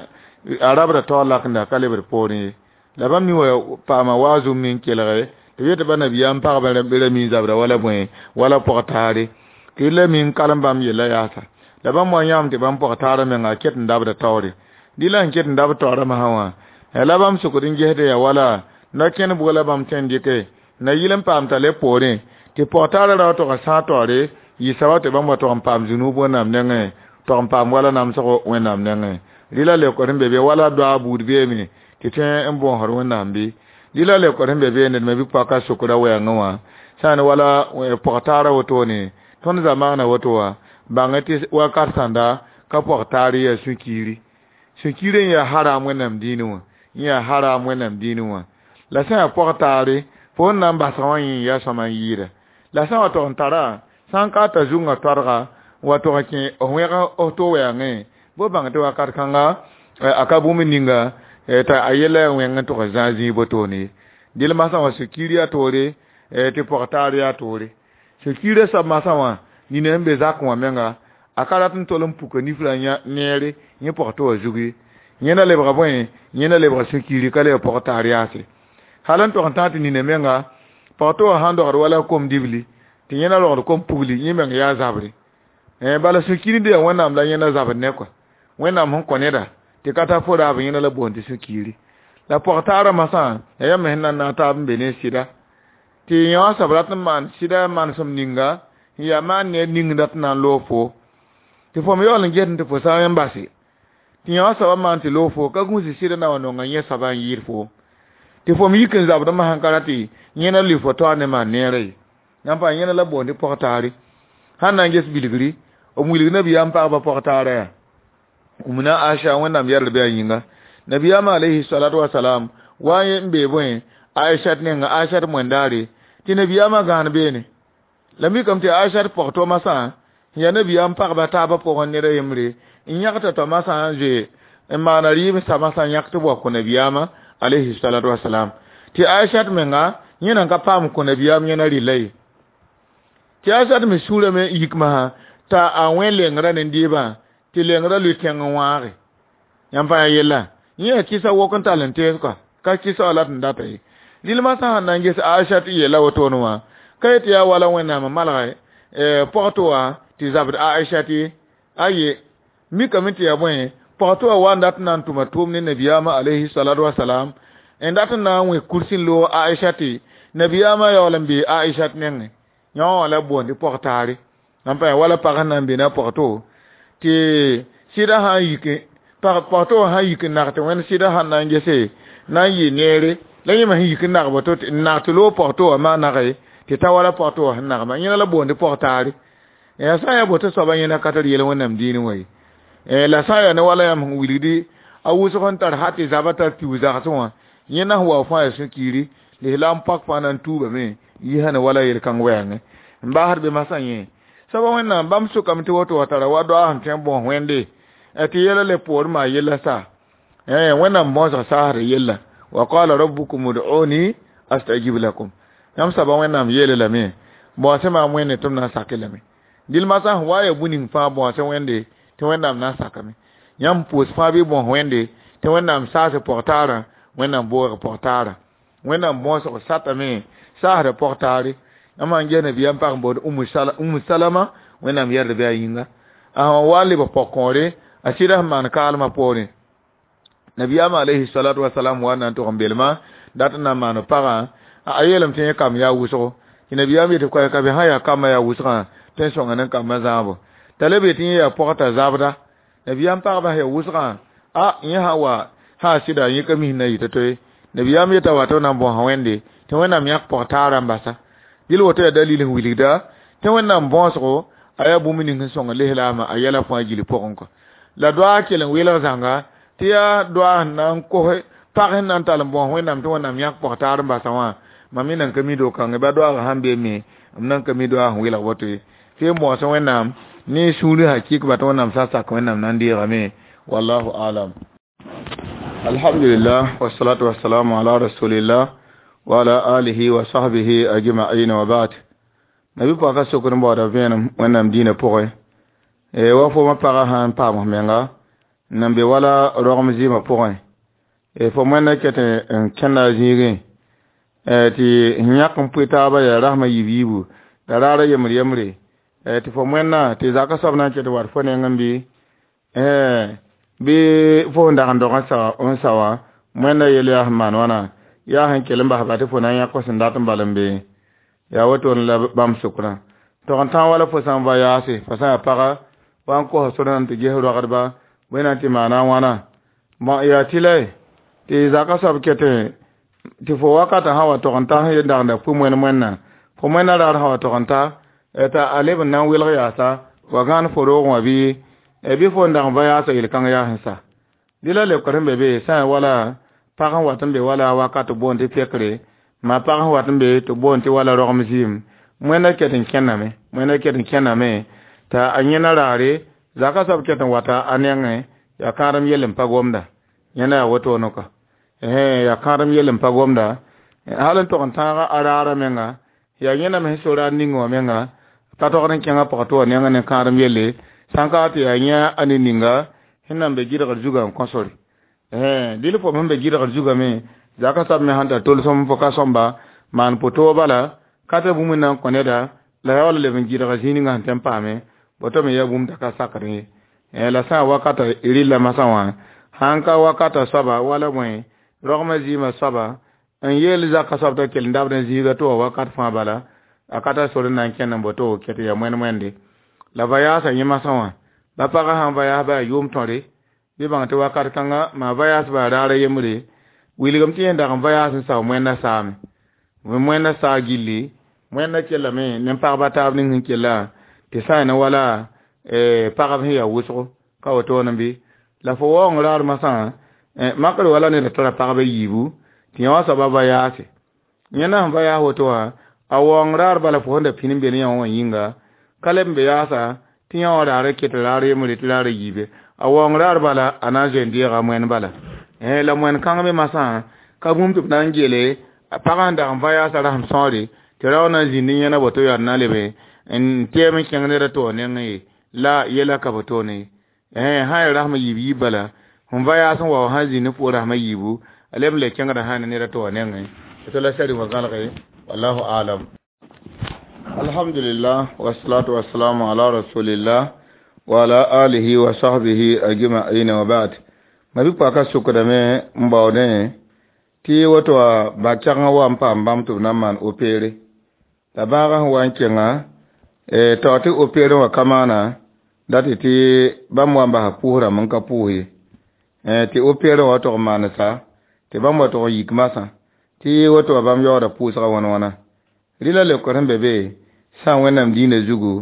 a rabda taoor lakenda ka lebd poorẽ ye la bãmb mi wa paama waazum me n kelge tɩ b yetɩ ba nabiyaam pagba ra mi zabra wala bõe wala pɔg taare tɩ la mi n kalem bãmb yella yaasa la bãmb wa yãam tɩ bãmb pɔg taara menga a ket n dabda taoore dɩ la n ket n dab taoorã masã wã la bãmb sokd n gesd yaa wala na kẽnd bʋga la bãmb tõe n dɩke na yɩl n paam t'a le poorẽ tɩ pɔg taara ra wa tog n sãag taoore yɩ sabab tɩ bãmb wa tog n paam zũnub wẽnnaam nengẽ tog n paam wala namsgo wẽnnaam nengẽ rɩ la leokd sẽn be be wala doa buud beeme tɩ tõe n bõosd wẽnnaam bɩ rɩ la leokd sẽn be be ned me bɩ paka sokra wɛɛngẽ wã sã n wala pɔg taara wotone tõnd zamaana woto wã bãng tɩ wakat sãnda ka pɔg taar yaa sũ-kiiri sũ-kiiri n yaa haram wẽnnaam dĩinẽ wã n yaa haram wẽnnaam dĩinẽ wã la sã yaa pɔg taare fo n na n basg wã yẽ yaa sõma n yɩɩda la sã n wa tog n tara sã n ka t'a zungã toadga n wa tog n kẽ f wẽg f to wɛɛngẽ bɩ bãng tɩ wakat kãnga a ka bũmb ninga t'a a yɛla yaa wẽng n tog n zãag zĩig botone ye dɩl masã wã sũ-kiir yaa toore tɩ pɔg taar yaa toore sũ-kiirã soab masã wã nina sẽn be zakẽ wã menga a ka rat n tol n puka nifrã neere yẽ pɔg tɩ wa zug ye yẽnda lebga bõe yẽnda lebga sũ-kiiri ka lebg pɔg taar yaase hal n tog n tãag tɩ nina menga pɔg tɩ wa sãn dogd wala kom dibli tɩ yẽnda rogd kom pugli yẽ meng yaa zabre bala sũ-kiir n yaa wẽnnaam la yẽnda zabd ne kɔa wẽnnaam sẽn kõ neda tɩ ka tar fo raab yẽnda la boond tɩ sũ-kiiri la pɔg taarã masã yaa yãmb sẽn na n naag taab n be ne sɩda tɩ yã wã soab rat n maan sɩda manesem ninga n yaa maan ned ning dat n na n loog fo tɩ fo me yaool n ges tɩ fo sã n base tɩ yã wã soabã maan tɩ loog fo ka gũus sɩda na wa nonga yẽ soabã n yɩɩd foom tɩ fo me yik n zabd masã ka ra tɩ yẽna lʋɩ fo taoor ne maan neerã ye yãmb pa yẽna la boond tɩ pɔg taare sãn na n ges bilgri b wilg nabiyaam pagba pɔg taarã yaa umna Aisha wẽnnaam yɛrd bɩ a yĩnga nabiyaam alayhi salatu wasalam wa n bee bõe Aisha nenga Aisha moẽndaare tɩ nabiyaamã gãan beene la mikame tɩ Aisha pɔg to masã n yaa nabiyaam pagba taabã pʋgẽ ned a yembre n yãgta t'a masã n zoe n maana rɩɩb sa masã yãk tɩ b wa kõ nabiyaamã alayhi salatu wasalam tɩ Aisha menga yẽ nan ka paam kõ nabiyaam yẽna rɩlla ye tɩ Aisha me sũurame yik masã t'a a wẽ lengrã ne deebã tɩ lengrã lʋɩ tẽng n wãage yãmb pa yaa yella yẽ yaa kɩsa wok n tall n tees kɔa ka kɩsa wã la tɩ n data ye dɩl masã sãn na n ges Aisha tɩ yeela wotone wã ka yetɩ yaa wala wẽnnaam n malg pɔg tɩ wã tɩ zabd Aisha tɩ aye mikame tɩ yaa bõe pɔg tɩ wã wa n dat n na n tʋma tʋʋm ne nabiyaamã alayhi salatu wasalam n dat n na n wẽ kursi n loog Aisha tɩ Nabiyaamã yaool n bee Aishat nengẽ yã wã la boond tɩ pɔg-taare n pa wala pag sẽn na n be na pɔg-to tɩ sɩda sã n yik pɔg-to wã sã n yik n nag tɩ wẽnd sɩda sãn na n gese na n yɩ neere la yẽme sẽn yik n nag boto n nag tɩ loog pɔg-to wã maa nage tɩ ta wala pɔg-to wã sẽn nagma yẽna la boond tɩ pɔg-taare yaa sã n yaa boto soaba yẽna ka tar yel wẽnnaam diinẽ wã ye la sã n yaa ne wala yãmb sẽn wilgdi a wʋsg n tar ha tɩ zaba tar piuug zagsẽ wã yẽna sẽn wa fãa yaa sũ-kiiri lislaam pak fãa na n tuubame yisã ne wala yel-kãng wɛɛngẽ n baasd be masã yẽ soaba wẽnnaam bãmb sʋkame tɩ woto wa tara wa doa sẽn tõe n bõos wẽnde tɩ yɛla le poor maa yella sa wẽnnaam bõosg saasd yella wa qala rabbukum ud'uni astajib lakum yãmb soaba wẽnnaam yeele lame bõose maam wẽnde tɩ m na n sake lame dɩl masã sẽn wa ya bũ-ning fãa bõose wẽnde tɩ wẽnnaam na n sakame yãmb pʋʋs fãa bɩ bõos wẽnde tɩ wẽnnaam saas pɔg-taarã wẽnnaam boog pɔg-taarã wẽnnaam bõosg satame saasda pɔg-taare yãmb sãn ges nabiyaam pag n boond umu salama wẽnnaam yɛrd bɩ a yĩnga a sẽn wa n lebg pɔg-kõore a sɩda sẽn maan kaalmã poorẽ nabiyaam alayhi salatu wasalam wa na n tog n belmã dat n na n maan pagã a yeelame tɩ yẽ kam yaa wʋsgo tɩ nabiyaam yetɩ koɛɛg ka be sã yaa kambã yaa wʋsgã tõe n sõnga ne kambã zãabo t'a le be tɩ yẽ yaa pɔg t'a zabda nabiyaam pagba sẽn yaa wʋsgã a yẽ sã wa sã sɩda yẽ ka mis na yɩ to-to ye nabiyaam yeta wa tɩ b na n bõosa wẽnde tɩ wẽnnaam yãk pɔg-taarã n basa dɩl woto yaa dalil sẽn wilgda tɩ wẽnnaam bõosgo a yaa bũmb ning sẽn sõng lislaamã a yɛla fãa gil pʋgẽ kɔ la doa kell n welg zãnga tɩ yaa doa sẽn na n kos pag sẽn na n tall n bõos wẽnnaam tɩ wẽnnaam yãk pɔg-taar n basa wã mam me nan ka mi do-kãngẽ ba doaagã sãn be me m nan ka mi doa sẽn welg woto ye tɩ n bõos wẽnnaam ne sũuri hakɩk ba tɩ wẽnnaam sã sak wẽnnaam na n deegame wallahu alam alhamdulillah wassalatu wassalamu ala rasulillah wa ala alihi wa sahbihi ajma'in wa ba'd nabi paka sokr n baooda vẽenem wẽnnaam dĩinã pʋgẽ wa fo pagã sãn paam menga n be wala rogem zɩɩmã pʋgẽ fo wẽnna ket n kẽnda a zĩigẽ tɩ yãk n pʋɩ taabã yaa rasmã yiib yiibu la raara yembr yembre tɩ fo wẽnna tɩ zaka soab na n ket wat fo nengẽ bɩ bɩ fo sẽn dag n dog n sa wã wẽnna yel yaa sẽn maan wãna yaa sẽn kell n basba tɩ fo na n yãk fo sẽn dat n bal n be yaa wotone la bãmb sʋkrã tog n tã wala fo sã n va yaase fo sã yaa paga wa n kosa sor na tɩ ges rogdba bõe na n tɩ maana wãna bõn yaa tɩ la tɩ zaka soab ket tɩ fo wakatã sã wa tog n ta sẽn dag n da pʋ moen moenna fo moenna raar sã wa tog n ta t'a a leb n na n welg yaasa wa gãan fo roogẽ wã bɩ bɩ fo n dag n va yaasa yel-kãng yaa sẽn sa dɩ la lebkr sẽn be be sã n wala pag sẽn wat n be wala wakat boond tɩ pekre maa pag sẽn wat n be tɩ boond tɩ wala rogem zɩɩm wẽnna ket n kẽnname wẽnna ket n kẽnname t'a a yẽna raare zaka soab ket n wata a nengẽ yaa kãadem yell n pa gomda yẽna yaa wotone kɔ yaa kãadem yell n pa gomda hal n tog n tãaga a raara menga yaa yẽna me sẽn so raar ning wã menga pa togd n kẽngã pɔgtɩ wã nengẽ ne kãadem yelle sãn ka tɩ yaa yẽ a ne ninga sẽn na n be gɩdgr zugã n kõ sore dɩl fo sẽn be gɩdgr zugã me zaka soab me sãn tar tolsem fo ka sõmba maan pʋ-toog bala ka tɩ bũmb na n kõ neda la yaa wala leb n gɩdga zĩig ninga sẽn tõe n paame woto me yaa bũmb t'a ka sakd ye la sã n wakata rɩlla masã wã sãn ka wakata soaba wala bõe rogmã zɩɩmã soaba n yeel zaka soab t'a kell n dabd n zĩiga tɩ wa wakat fãa bala a ka tar sor n na n kẽnd n boto ket yaa moen moende la va yaasa yẽ masã wã ba pagã sãn va yaas ba yaa yʋʋm tõre bɩ bãng tɩ wakat kãnga maa va yaas ba raara yembre wilgem tɩ yẽ dag n va yaas n sao moenna saame moenna saa gilli moenna kellame ne pagba taab ning sẽn kella tɩ sã ne wala pagb sẽn yaa wʋsgo ka wotone bɩ la fo waoong raar masã makr wala ned tara pagba yiibu tɩ yã wã soaba va yaase yẽna sẽn va yaas woto wã a waoong raar bala fo sẽn da pĩn n be ne yã wã yĩnga ka leb n be yaasa tɩ yã wã raara ket raar yembre tɩ raara yiibe a waoong raar bala a na n zoe n deega moen bala la moen kãng me masã ka bũmb tɩ b na n geele pagã sẽn dag n va yaasa rasem sõore tɩ rao na n zĩnd yẽna boto yaa na lebe n tɛɛm n kẽng ned a to wã nengẽ ye la yɛla ka botone ye sã ya rasmã yiib yiib bala sẽn va yaas n wa wã sãn zĩnd fo rasmã yiibu a leb n le kẽngda sã ne ned a to wã nengẽ to la sari wã gãlge wallahu alam alhamdulillah wassalatu wassalamu ala rasulillah wa ala alihi wa sahbihi ajma'in wa ba'd ma bi paka sukdame n baoodẽ Tɩ woto wã bã-kɛgengã wa n paam bãmb tɩ b na n maan opere. La bãagã sẽn wa n kẽnga, taoor tɩ opere wã ka maana, dat tɩ bãmb wa n basa pʋʋs rãmb n ka pʋʋs ye. Tɩ opere wã tog n maanesa, tɩ bãmb wa tog n yik masã, tɩ woto wã bãmb yaooda pʋʋsgã wãn-wãna. Rɩla leokr sẽn be be, sã n Wẽnnaam diinã zugu,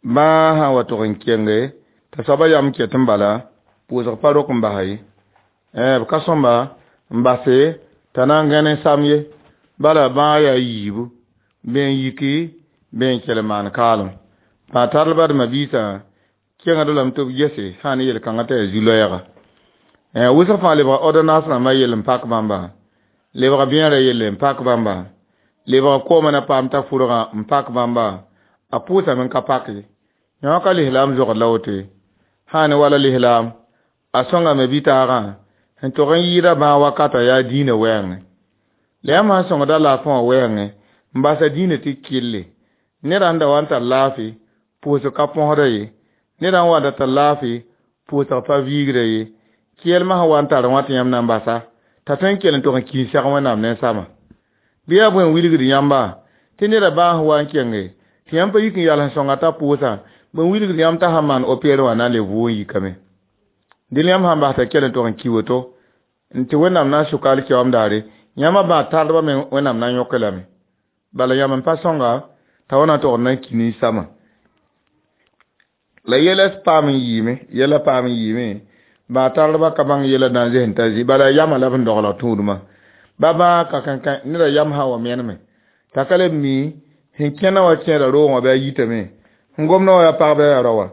bãa sã n wa tog n kenge, t'a soabã yam ket n bala, pʋʋsg pa rok n basa ye. B ka sõmba n base t'a na n gãne sam ye, bala bãag yaa yiibu, bɩ n yiki, bɩ n kell n maan kaalem. Bã tardba d ma-biisã kẽngd lame tɩ b gese sã n ne yel-kãngã t'a yaa zu-loɛɛga. Wʋsg fãa lebga ordonnance rãmbã yell n pak bãmba, lebga bẽerã yelle n pak bãmba, lebga koomã na paam t'a fʋrgã n pak bãmba, a pʋʋsame n ka pak ye. Yõ ka lislaam zogd la woto ye. Sã n ne wala lislaam, a sõngame bɩ-taagã sẽn tog n yɩɩda bãag wakata yaa dĩinã wɛɛngẽ. La yãmb sãn sõngda laafẽ wã wɛɛngẽ n basa dĩinã tɩ kɩlle, ned sẽn da wa n tar laafɩ, pʋʋsg ka põsda ye. Ned sẽn wa n da tar laafɩ, pʋʋsg pa viigra ye. Kɩɛlmã sẽn wa n tar wã tɩ yãmb na n basa, t'a tõe n kell n tog n kĩis sɛg Wẽnnaam ne samã. Bɩ yaa bõe n wilgd yãmba tɩ neda bãag sẽn wa n kenge, tɩ yãmb pa yik n yals n sõnga t'a pʋʋsã, bõe n wilgd yãmb t'a sãn maan opere wã na n le vʋʋg n yikame. Dẽn yãmb sãn bas t'a kell n tog n ki woto, tɩ Wẽnnaam na n sʋka alkiyoom daare, yãmba bãag tardbã me Wẽnnaam na n yõk lame. Bala yãmb n pa sõnga t'a wa na tog n na n ki ninsãmã. La yɛla paam n yiime, yɛla paam n yiime, bãag tardbã ka bãng yɛla na n zes n ta zĩ, bala yamã la b sẽn dogl tũudmã. Ba bãag ka kãnkã neda yam sã n wa meneme, t'a ka le mi sẽn kẽna wã kẽeda roogẽ wã bɩ a yitame, sẽn gomdã wã yaa pag bɩ a yaa rao wã.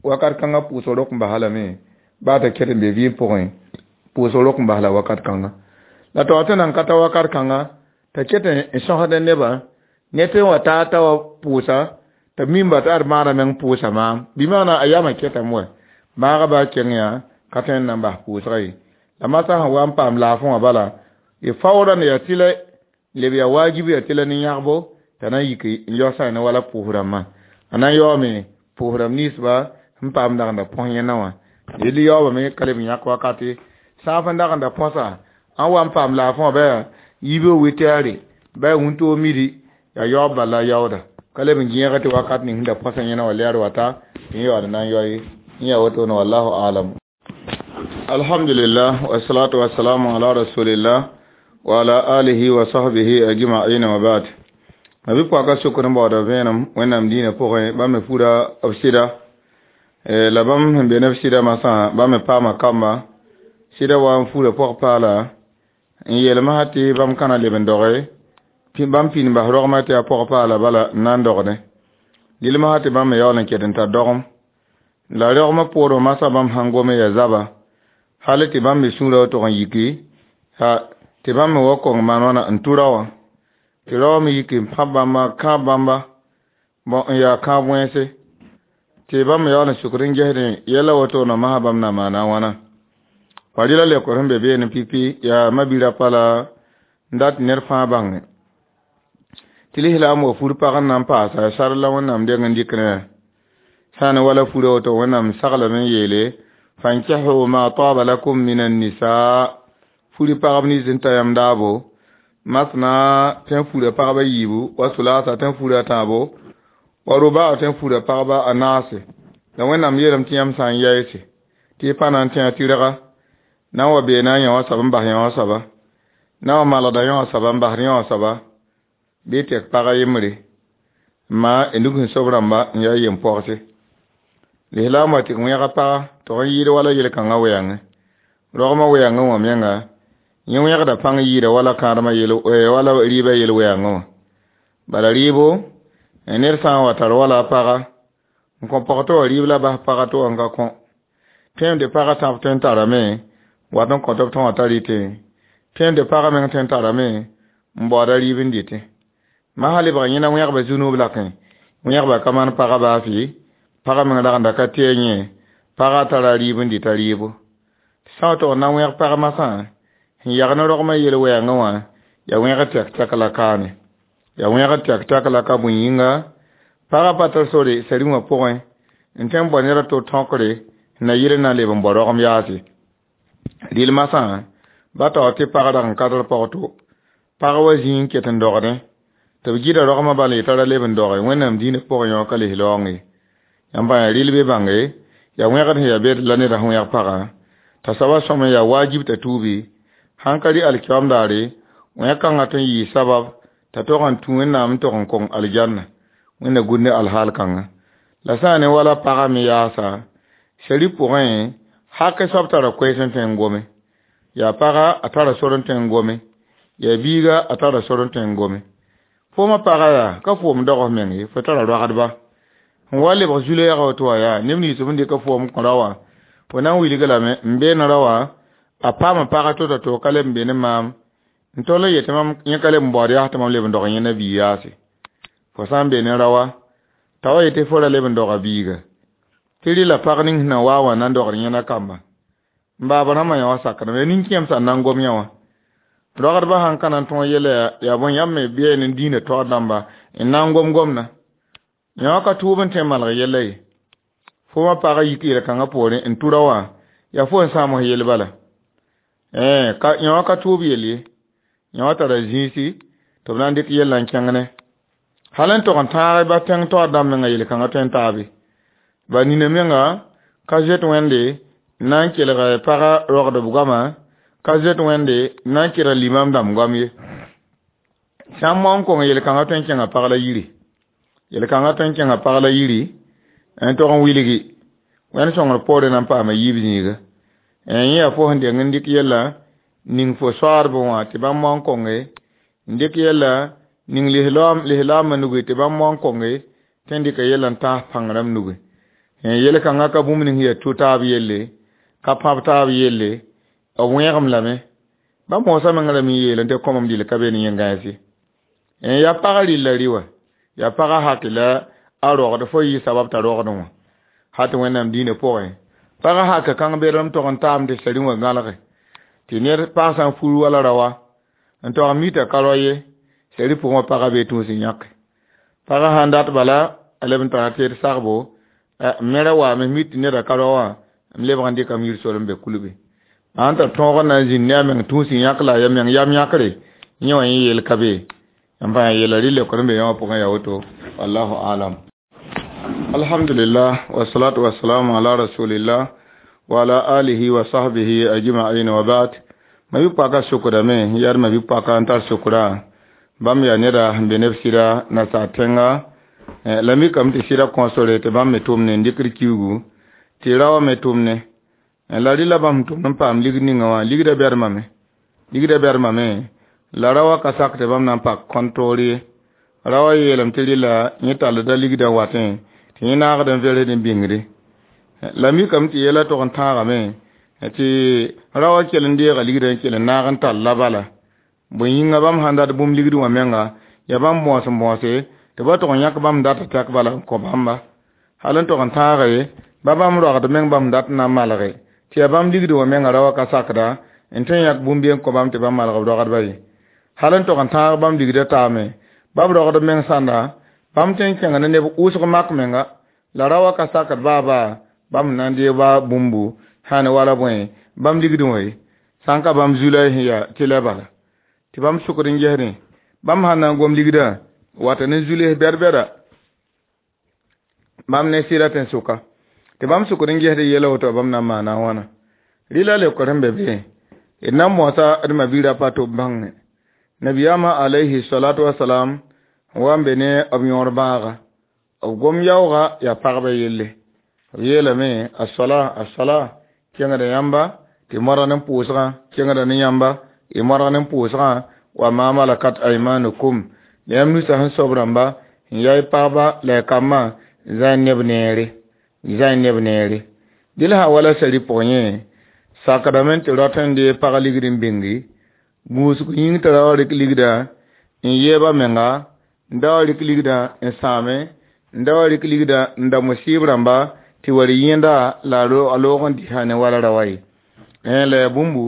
Wakat kãngã pʋʋsg rok n basa lame, baa t'a ket n be vɩɩm pʋgẽ, pʋʋsg rok n bas la wakat kãnga. La taoor tɩ nan ka ta wakat kãnga, t'a ket n sõsd nebã, ne tɩ n wa taa t'a wa pʋʋsa, t'a mimba t'a d maana meng pʋʋsa maam. Bɩ maana a yamã ketame wɛ. Bãagã baa keng yaa, ka tõe n na n bas pʋʋsga ye. La masã sẽn wa n paam laafẽ wã bala, y faoodã ne yaa tɩlɛ, leb yaa waajib yaa tɩlɛ ne yãgbo, t'a na n yik n yaoosã ne wala pʋʋs rãmbã. A na n yaoome pʋʋs rãmb ninsba sẽn paam dagenda põs yẽnna wã. Yell yaoobame ka leb n yãk wakate. Sã n dagenda põsa, ãn wa n paam laafẽ wã bɩ yaa yiibg witɛɛre, bɩ yaa wĩntoog midi, yaa yaoob bala la yaooda. Ka leb n gẽega tɩ wakat ning sẽn da põsa yẽna wã lɛɛr wata, tɩ yẽ yaood n na n yao ye. Yẽ yaa wotone wallahu alam. Alhamdulillah, wassalatu wassalamu ala rasulillah wa ala alihi wa sahbihi ajma'in wa ba'd. Ma bi-poaka sokr n baooda vẽenem Wẽnnaam dĩinã pʋgẽ, bãmb me fura b sɩda. La bãmb sẽn be ne b sɩda masã, bãmb me paama kamba. Sɩda wa n fura pɔg-paala n yeel masã tɩ bãmb ka na leb n doge, bãmb pĩnd n bas rogmã tɩ yaa pɔg-paala bala n na n dogdẽ. Dɩl masã tɩ bãmb me yaool n ket n tar dogem. La rogmã poorẽ masã bãmb sãn gome yaa zaba, hal tɩ bãmb me sũurã wa tog n yiki, tɩ bãmb me wa kong maan wãna n tʋ rao wã. Tɩ rao wã me yiki n pãb bãmba, kãab bãmba, n yaa kãab wẽnse. Tɩ bãmb me yaool n sukd n gesdẽ yɛla wotone masã bãmb na maana a wãna. Pa rɩla leokr sẽn be beene pipi yaa ma-bi-rapa la n dat ned fãa bãnge. Tɩ lislaam wa fur pag n na n paasa sar la Wẽnnaam deng n dɩk ne sã n ne wala fura woto Wẽnnaam saglame n yeele fankihu ma taba lakum min an-nisaa, furi pagb nins n ta yãmb daabo, masna tɩ n fura pagba yiibu, wa sulasa tɩ n fura tãabo, wa rubaa tɩ n fura pagba a naase. La Wẽnnaam yeelame tɩ yãmb sã n yaɩse, tɩ y pa na n tẽ a tɩrga, na n wa beena yã wã soab n bas yã wã soaba, na wa malgda yã wã soaba n basd yã wã soaba, bɩ y tek pag a yembre, ma y nug sẽn sob rãmba n yaa yem-pɔgse. Lislaam wa tɩ wẽega paga tog n yɩɩd wala yel-kãngã wɛɛngẽ. Rogmã wɛɛngẽ wã menga, yẽ wẽgda pãng yɩɩda wala kãadmã yel, wala rɩɩbã yel wɛɛngẽ wã. Bala rɩɩbo, ned sã n wa tar wala a paga, n kõ pɔg tɩ wa rɩɩb la bas paga tɩ wa n ka kõ. Tõem paga tãb tõe n tarame, wat n kõ tɩ b tõe wã t'a rɩtẽ. Tõem paga meng tõe n tarame, n baooda rɩɩb n dɩtẽ. Masã lebg yẽna wẽgba zu-nuub lakẽ, wẽgba ka maan paga baa fɩ, paga meng ragenda ka tɩ a yẽ, paga tara rɩɩb n dɩta rɩɩbo. Sã n tog n na wẽg pag masã, sẽn yag ne rogmã yel wɛɛngẽ wã, yaa wẽgd tɛk-tɛk la kaane. Yaa wẽgd tɛk-tɛk la ka bõe yĩnga, pagã pa tar sore sari wã pʋgẽ, n tõe n bao ned a to tõkre, na yɩl n na n leb n bao rogem yaase. Rɩl masã, Ba tao tɩ pag dag n ka tɩ pag to pag wa zĩig n ket n dogdẽ tɩ b gɩda rogmã bala yetɩ ra leb n doge Wẽnnaam dĩinã pʋgẽ yõ ka les laoong ye. Yãmb bã yaa rɩl be bãnge yaa wẽgd sẽn yaa bed la neda sẽn wẽg pagã t'a soaba sõm n yaa wajib t'a tuubi sãn ka rɩ alkiyoam daare wẽg-kãngã tõe n yɩɩ sabab t'a tog n tũ Wẽnnaam n tog n kong aljanna Wẽnna gũd ne alhaal kãnga la sã n ne wala pagã me yaasa sari pʋgẽ hak soab tara koɛɛs n tõe n gome yaa paga a tara sor n tõe n gome yaa biiga a tara sor n tõe n gome foomã paga yaa ka foom dog f meng ye fo tara roagdba sẽn wa lebg zu-lɛɛga woto wã yaa neb nins b dɩka foom kõ ra wã fo na n wilg lame n beene ra wã a paama pag to-to to ka leb n be ne maam n tol n yetɩ mam yẽ ka leb n baood yaa tɩ mam leb n dog yẽnda biig yaase fo sã n be ne ra wã t'a wa yetɩ fo ra leb n doga biiga tɩ rɩla pag ning sẽn na wa wã na n dogd yẽnda kamba n baab rãmbã yã wã sakdame yaa nin-kẽem sã n na n gom yã wã rogdbã sãn ka na n tõog yɛla yaa bõe yãmb me bɩ ne dĩinã taoor dãmba n na n gom gomdã yã wã ka tʋʋb n tõe n malg yɛla ye fo wã pagã yik yel-kãngã poorẽ n tʋ ra wã yaa fo n sãam f yel bala yã wã ka tʋʋb yel ye yã wã tara zĩisi tɩ b na n dɩk yellã n kẽng ne hal n tog n tãag ba tẽng taoor dãmb menga yel-kãngã tõe n taabe ba nina menga ka zoet Wẽnde n na n kelg pagã rogdb goama ka zoet Wẽnde n na n kelg limam dãmb goam ye sã n moan kong yel-kãngã tõe n kẽnga pag la yiri yel-kãngã tõe n kẽnga pag la yiri n tog n wilgi Wẽnd sõngr poorẽ na n paama yiib zĩiga yẽ yaa fo sẽn deng n dɩk yella ning fo soaadb wã tɩ bãmb moan konge n dɩk yella ning lislaamã nugi tɩ bãmb moan konge tɩ n dɩka yella n tãas pãng rãmb nugi yel-kãngã ka bũmb ning yaa tʋ taab yelle ka pãb taab yelle b wẽegem lame ba moosã meng rame n yeelẽ tɩ kõmem dɩl ka be ne yẽ gãens ye yaa pagã rɩlla rɩ wã yaa pagã hak la a rogd fo yɩ sabab t'a rogdẽ wã hal tɩ Wẽnnaam dĩinã pʋgẽ pagã hak kãng bedrem tog n taam tɩ sari wã gãlge tɩ ned pag sã n fur wala ra wã n tog n mi t'a ka rao ye sari pʋgẽ wã pagã bee tũus n yãke pagã sãn dat bala a leb n tara teed sagbo m me ra waame mi tɩ neda ka rao wã m lebg n dɩkam yir sol n be kulbe sãn tar tõog n na n zĩnd ne a meng tũus n yãk la a ya meng yam yãkre yẽ wã yẽ yeel ka be n pa yeela rɩ leokd n be yã wã pʋgẽ yaa woto wallahu alam. Alhamdulillah wassalatu wassalamu ala rasulillah wa ala alihi wa sahbihi ajma'in wa ba'd. Ma bi paka sukdame yar ma bi paka n tar sukra bãmb yaa neda sẽn be neb sɩda nasaar tẽnga la mikame tɩ sɩda kõsore tɩ bãmb me tʋmne n dɩkd kiuugu tɩ ra wã me tʋmne la rɩla bãmb sẽn tʋmd n paam ligd ninga wã ligdã bɛdmame ligdã bɛdmame la ra wã ka sak tɩ bãmb na n pak kõn toor ye ra wã yeelame tɩ rɩla yẽ tallda ligdã watẽ tɩ yẽ naagd n versd n bĩngde la mikame tɩ yɛla tog n tãagame tɩ ra wã kell n deega ligdã n kell n naag n tall la bala bõe yĩnga bãmb sãn dat bũmb ligd wã menga yaa bãmb bõos n bõose tɩ ba tog n yãk bãmb dat tɛk bala n kõ bãmba hal n tog n tãage ba bãmb roagd meng bãmb dat n na n malge tɩ yaa bãmb ligd wã menga ra wã ka sakda n tõe n yãk bũmb n kõ bãmb tɩ bãmb malg b rogdba ye hal n tog n tãag bãmb ligdã taame ba b rogd meng sãnda bãmb tõe n kẽnga ne neb wʋsg mak menga la ra wã ka sakd baa baa bãmb na n deeg ba bũmbu sã ne wala bõe bãmb ligdẽ wã ye sã n ka bãmb zu-la sẽn yaa tɩ la bala tɩ bãmb sʋkd n gesdẽ bãmb sãn na n gom ligdã wata ne zu-les bɛd-bɛda bãmb ne sɩda tɩ n sʋka tɩ bãmb sʋkd n gesd yɛla woto bãmb na n maana a wãna rɩla leokr sẽn be be d na n moasa d ma-biirã pa tɩ b bãnge nabiyaamã alayhi salatu wasalam n wa n be ne b yõor bãaga b gom yaooga yaa pagba yelle b yeelame asala asala kẽngda yãmba tɩ modg ne pʋʋsgã kẽngda ne yãmba y modg ne pʋʋsgã wa ma malakat aymanukum la yãmb nusa sẽn soab rãmba n yaa y pagba la y kambã zã neb neere zã neb neere dɩl sã wala sari pʋgẽ yẽ sakdame tɩ rot n dee pag ligd n bĩngi gũusg yĩng tɩ ra wa rɩk ligdã n yeeb a menga n da wa rɩk ligdã n sãame n da wa rɩk ligdã n da musɩɩb rãmba tɩ wa rɩ yẽnda la a loog n dɩsa ne wala ra wa ye la yaa bũmbu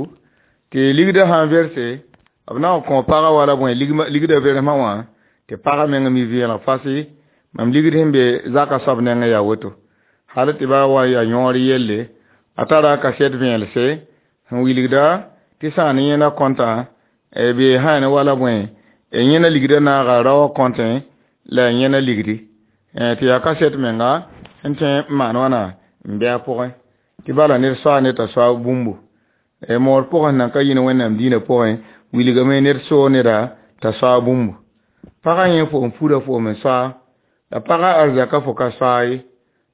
tɩ ligdã sã n verse b na n kõ pagã wala bõe ligdã versmã wã tɩ pagã meng mi vẽelg fasɩ mam ligd sẽn be zaka soab nengẽ yaa woto hal tɩ ba wa yaa yõor yelle a tara a kasɛt vẽelse sẽn wilgda tɩ Tɩ sã n ne yẽna kõta bɩ sã ne wala bõe yẽna ligdã naaga raoã kõtẽ la a yẽna ligdi tɩ yaa kaset menga sẽn tõe n maan wãna n bɩ a pʋgẽ tɩ bala ned soaa ned t'a soa bũmbu moor pʋgẽ sẽn nan ka yĩn wẽnnaam dĩinã pʋgẽ wilgame ned soog neda t'a soa bũmbu pagã yẽ fo n pura foom n soa la pagã arzaka fo ka soa ye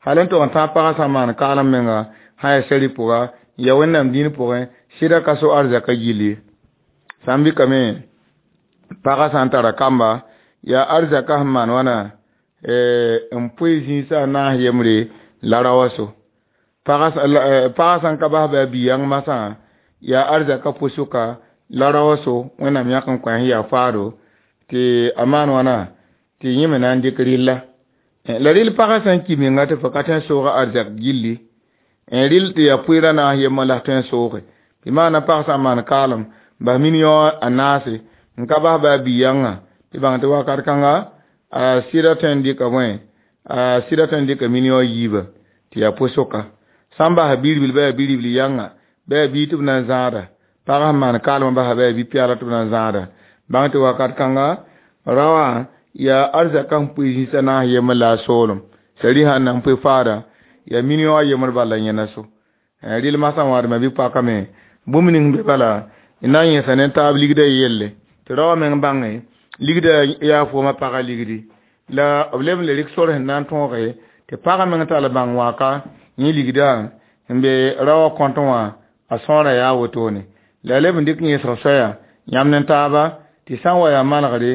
hal n tog n tãag pagã sã n maan kaalem menga sã yaa sɛri pʋga n ya wẽnnaam dĩin pʋgẽ sɩda ka so arzaka gill ye sã n bɩkame pagã sã n tara kamba yaa arzaka sẽn maan wãna n pʋɩ zĩisã a naas yembre la raoã so pagã sã n ka bas bɩ a bi-yãng masã yaa arzaka pʋsʋka la raoã so wẽnnaam yãk n kõ sẽn yaa faado tɩ a maan wãna tɩ yẽ me na n dɩk rɩlla la rɩl pagã sã n ki menga tɩ fo ka tõe n sooga arzak gilli n rɩl tɩ yaa pʋɩɩrã naas yembã la f tõe n sooge tɩ maana pag sã n maan kaalem bas million a naase n ka bas bɩ a bi-yãngã tɩ bãng tɩ wakat kãnga a sɩda tõe n dɩka bõe a sɩda tõe n dɩka million yiiba tɩ yaa pʋsʋka sã n basa bi-ribil bɩ yaa bi-ribl yãnga bɩ yaa bii tɩ b na n zãada pagã sẽn maan kaalmã basa bɩ yaa bi-pɛɛla tɩ b na n zãada bãng tɩ wakat kãnga raoã yaa arzaka sẽn pʋɩ zĩisã naas yembr la a soolem sari sã n na n pʋɩ faada yaa million a yembr bala yẽna so rɩl masã wãadmã bɩ pakame bũmb ning be bala n na n yẽsa ne taab ligdã yelle tɩ raoã meng bãnge ligdã yaa foomã pagã ligdi la b leb n le rɩk sor sẽn na n tõoge tɩ pagã meng tall bãng wãka yẽ ligdã n be raoã kõtẽ wã a sõora yaa wotone la a leb n dɩk yẽsg soaya yãmb ne taaba tɩ sã n wa yaa manegre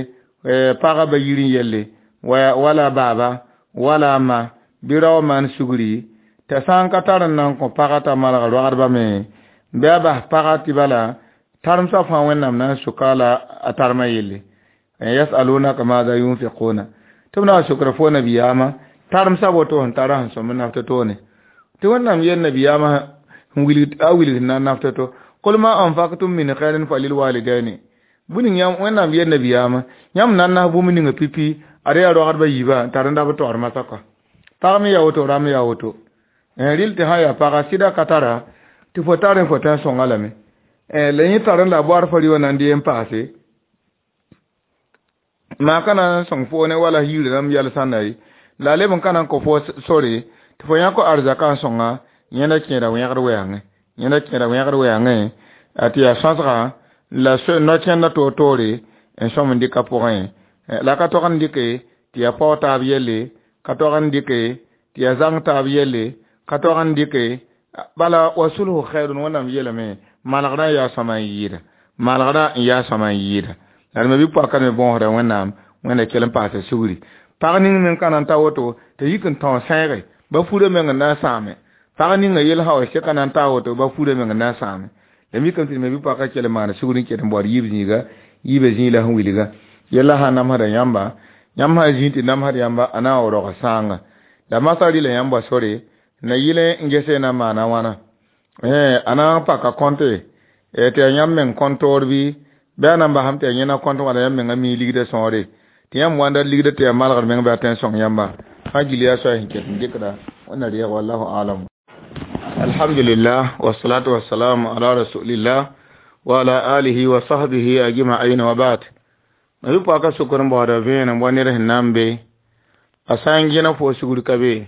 pagã ba yir n yelle wala baaba wala a ma bɩ raoã maan sugri t'a sã n ka tar n na n kõ pagã t'a maneg roagdbã me bɩ a bas pagã tɩ bala taremsã fãa wẽnnaam na n soka la a tarmã yelle yasalunaka maada yunfiquna tɩ b na n sokra fo nabiyaamã taremsã woto sẽn tara sẽn sõm n naft toone tɩ wẽnnaam yel nabiyaamã a wilg sẽn na n naft to qul ma anfaqtum min khairin falilwalidaini bũmb yãmb wẽnnaam yel nabiyaamã yãmb na n nas bũmb ninga pipi ad yaa roagdbã yiibã n tar n da b taoor masã kɔa pag me yaa woto rãmb yaa woto rɩl tɩ sã yaa paga sɩda ka tara tɩ fo tar n fo tõe n sõnga lame la yẽ tar n la a boaar fo rɩ wã na n dee n paase maa ka na n sõng fo ne wala yiir rãmb yɛl sãnda ye la a leb n ka na n kõ fo sore tɩ fo yãk arzakã n sõnga yẽnda kẽeda wẽgd wɛɛngẽ yẽnda kẽeda wẽgd wɛɛngẽ tɩ yaa sõsga la no-kẽndã toor-toore n sõm n dɩka pʋgẽ la ka tog n dɩke tɩ yaa pao taab yelle ka tog n dɩke tɩ yaa zãng taab yelle ka tog n dɩke bala wa sulhu khairun wẽnnaam yeelame malgrã n yaa sõma n yɩɩda malgrã n yaa sõma n yɩɩda la d me bɩ poaka me bõosda wẽnnaam wẽnda kell n paasa sugri pag ning meng ka na n ta woto tɩ yik n tão sẽege ba furã meng n na n sãame pag ninga yel sã wa seka na n ta woto ba furã meng n na n sãame la mikame tɩ me bɩ poaka kell n maana sugr n ket n baood yiib zĩiga yiibã zĩig la sẽn wilga yella sã n namsda yãmba yãmb sã n zĩig tɩ namsd yãmba a na n wa rog sãanga la masã rɩla yãmba sore na yɩl n gese na n maana wãna a na n paka kõte tɩ yaa yãmb meng kõn-toor bɩ bɩ a na n basame tɩ yaa yẽna kõnt wala yãmb mengã mi ligdã sõore tɩ yãmb wãnda ligdã tɩ yaa malgd meng bɩ a tõe n sõng yãmba fãa gill yaa soay sẽn ket n dɩkda wẽnna reeg wallahu alam alhamdulillah wasalatu wassalamu ala rasulillah wa ala alihi wa sahbihi ajma'in wa ba'd ma bɩ paka sokr n baooda vẽenem wa ned sẽn na n be a sã n gẽna fo sugr ka be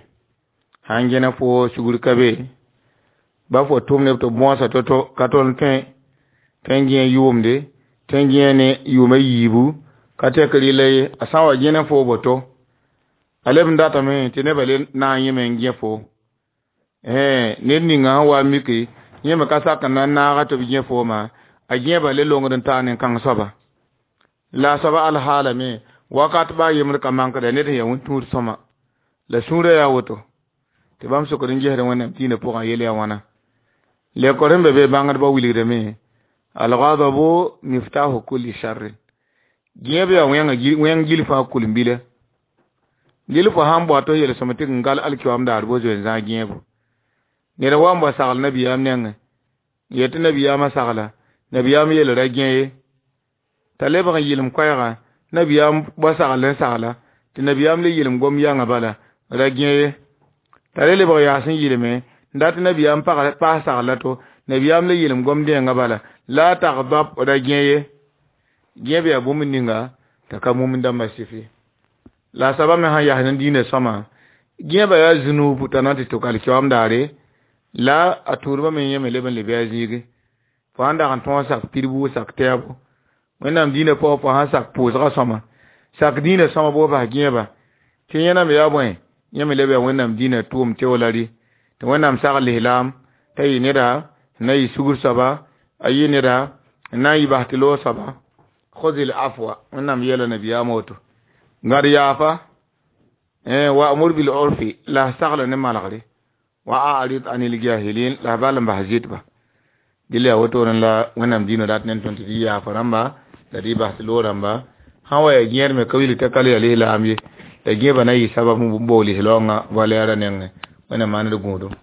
sã n gẽna fo sugr ka be ba fo tʋm neb tɩ b bõosa to-to ka tol n tõe tõe n gẽ yʋʋmde tõe n gẽ ne yʋʋma yiibu ka tɛk rɩla ye a sã n wa gẽna fo boto a leb n datame tɩ nebã le na n yẽme n gẽ fo ned ninga sẽn wa n mike yẽ me ka sak n na n naaga tɩ b gẽ fooma a gẽebã le longd n taa nin-kãng soaba la a soaba alhaalame wakat baa yembr ka mankda ned sẽn yaa wẽn-tũud sõma la sũurã yaa woto tɩ bãmb sokd n gesd wẽnnaam dĩinã pʋgã yel yaa wãna lekor sẽn be be bãngdbã wilgdame alghadabu miftahu kulli sharrin gẽeb yaa wẽng gil fãa kul-n-bila lil fo sãn bao tɩ yel-sõm tɩ n gal alkiwaam daar bo zoe n zãag gẽebo ned wa n bao sagl nabiyaam nengẽ n yet tɩ nabiyaamã sagla nabiyaam yel ra gẽ ye t'a lebg n yɩlem koɛɛgã nabiyaam bao sagl n sagla tɩ nabiyaam le yɩlem gom yãngã bala ra gẽ ye t'a le lebg yaas n yɩlme n dat nabiyaam paas sagla to Nabiyaam la yeelem gom dẽengã bala la tagdab ra gẽ ye gẽb yaa bũmb ninga t'a ka mumn dãmbã sɩf ye la a soaba me sãn yas ne diinã sõma gẽebã yaa zũnub t'a na n tɩ tʋk alkiyoom daare la a tũudbã me yẽ me leb n lebe a zĩigi fo sãn dag n tõog sak pidbu sak tɛɛbo wẽnnaam diinã pʋgẽ fo sãn sak pʋʋsgã sõma sak diinã sõma boo bas gẽeba tɩ yẽna me yaa bõe yẽ me leb yaa wẽnnaam diinã tʋʋm teo la rɩ tɩ wẽnnaam sag lislaam t'a yɩ neda n na yɩ sugr soaba a yɩ neda n na n yɩ bas tɩ loog soaba khudil afwa wẽnnaam yeela nabiyaam woto gãd yaafa wa'mur bil urfi la f sagla ne malgre wa a'rid anil jahilin la f bal n bas zɩtba dɩl yaa wotone la wẽnnaam diinã rat ne tõnd tɩ dɩ yaafa rãmba la dɩ bas tɩ loog rãmba sã wa yaa gẽed me ka wilg t'a ka le yaa lislaam ye la gẽebã na yɩ sabab n boog lislaoongã valɛɛrã nengẽ wẽnnaam maand d gũudum.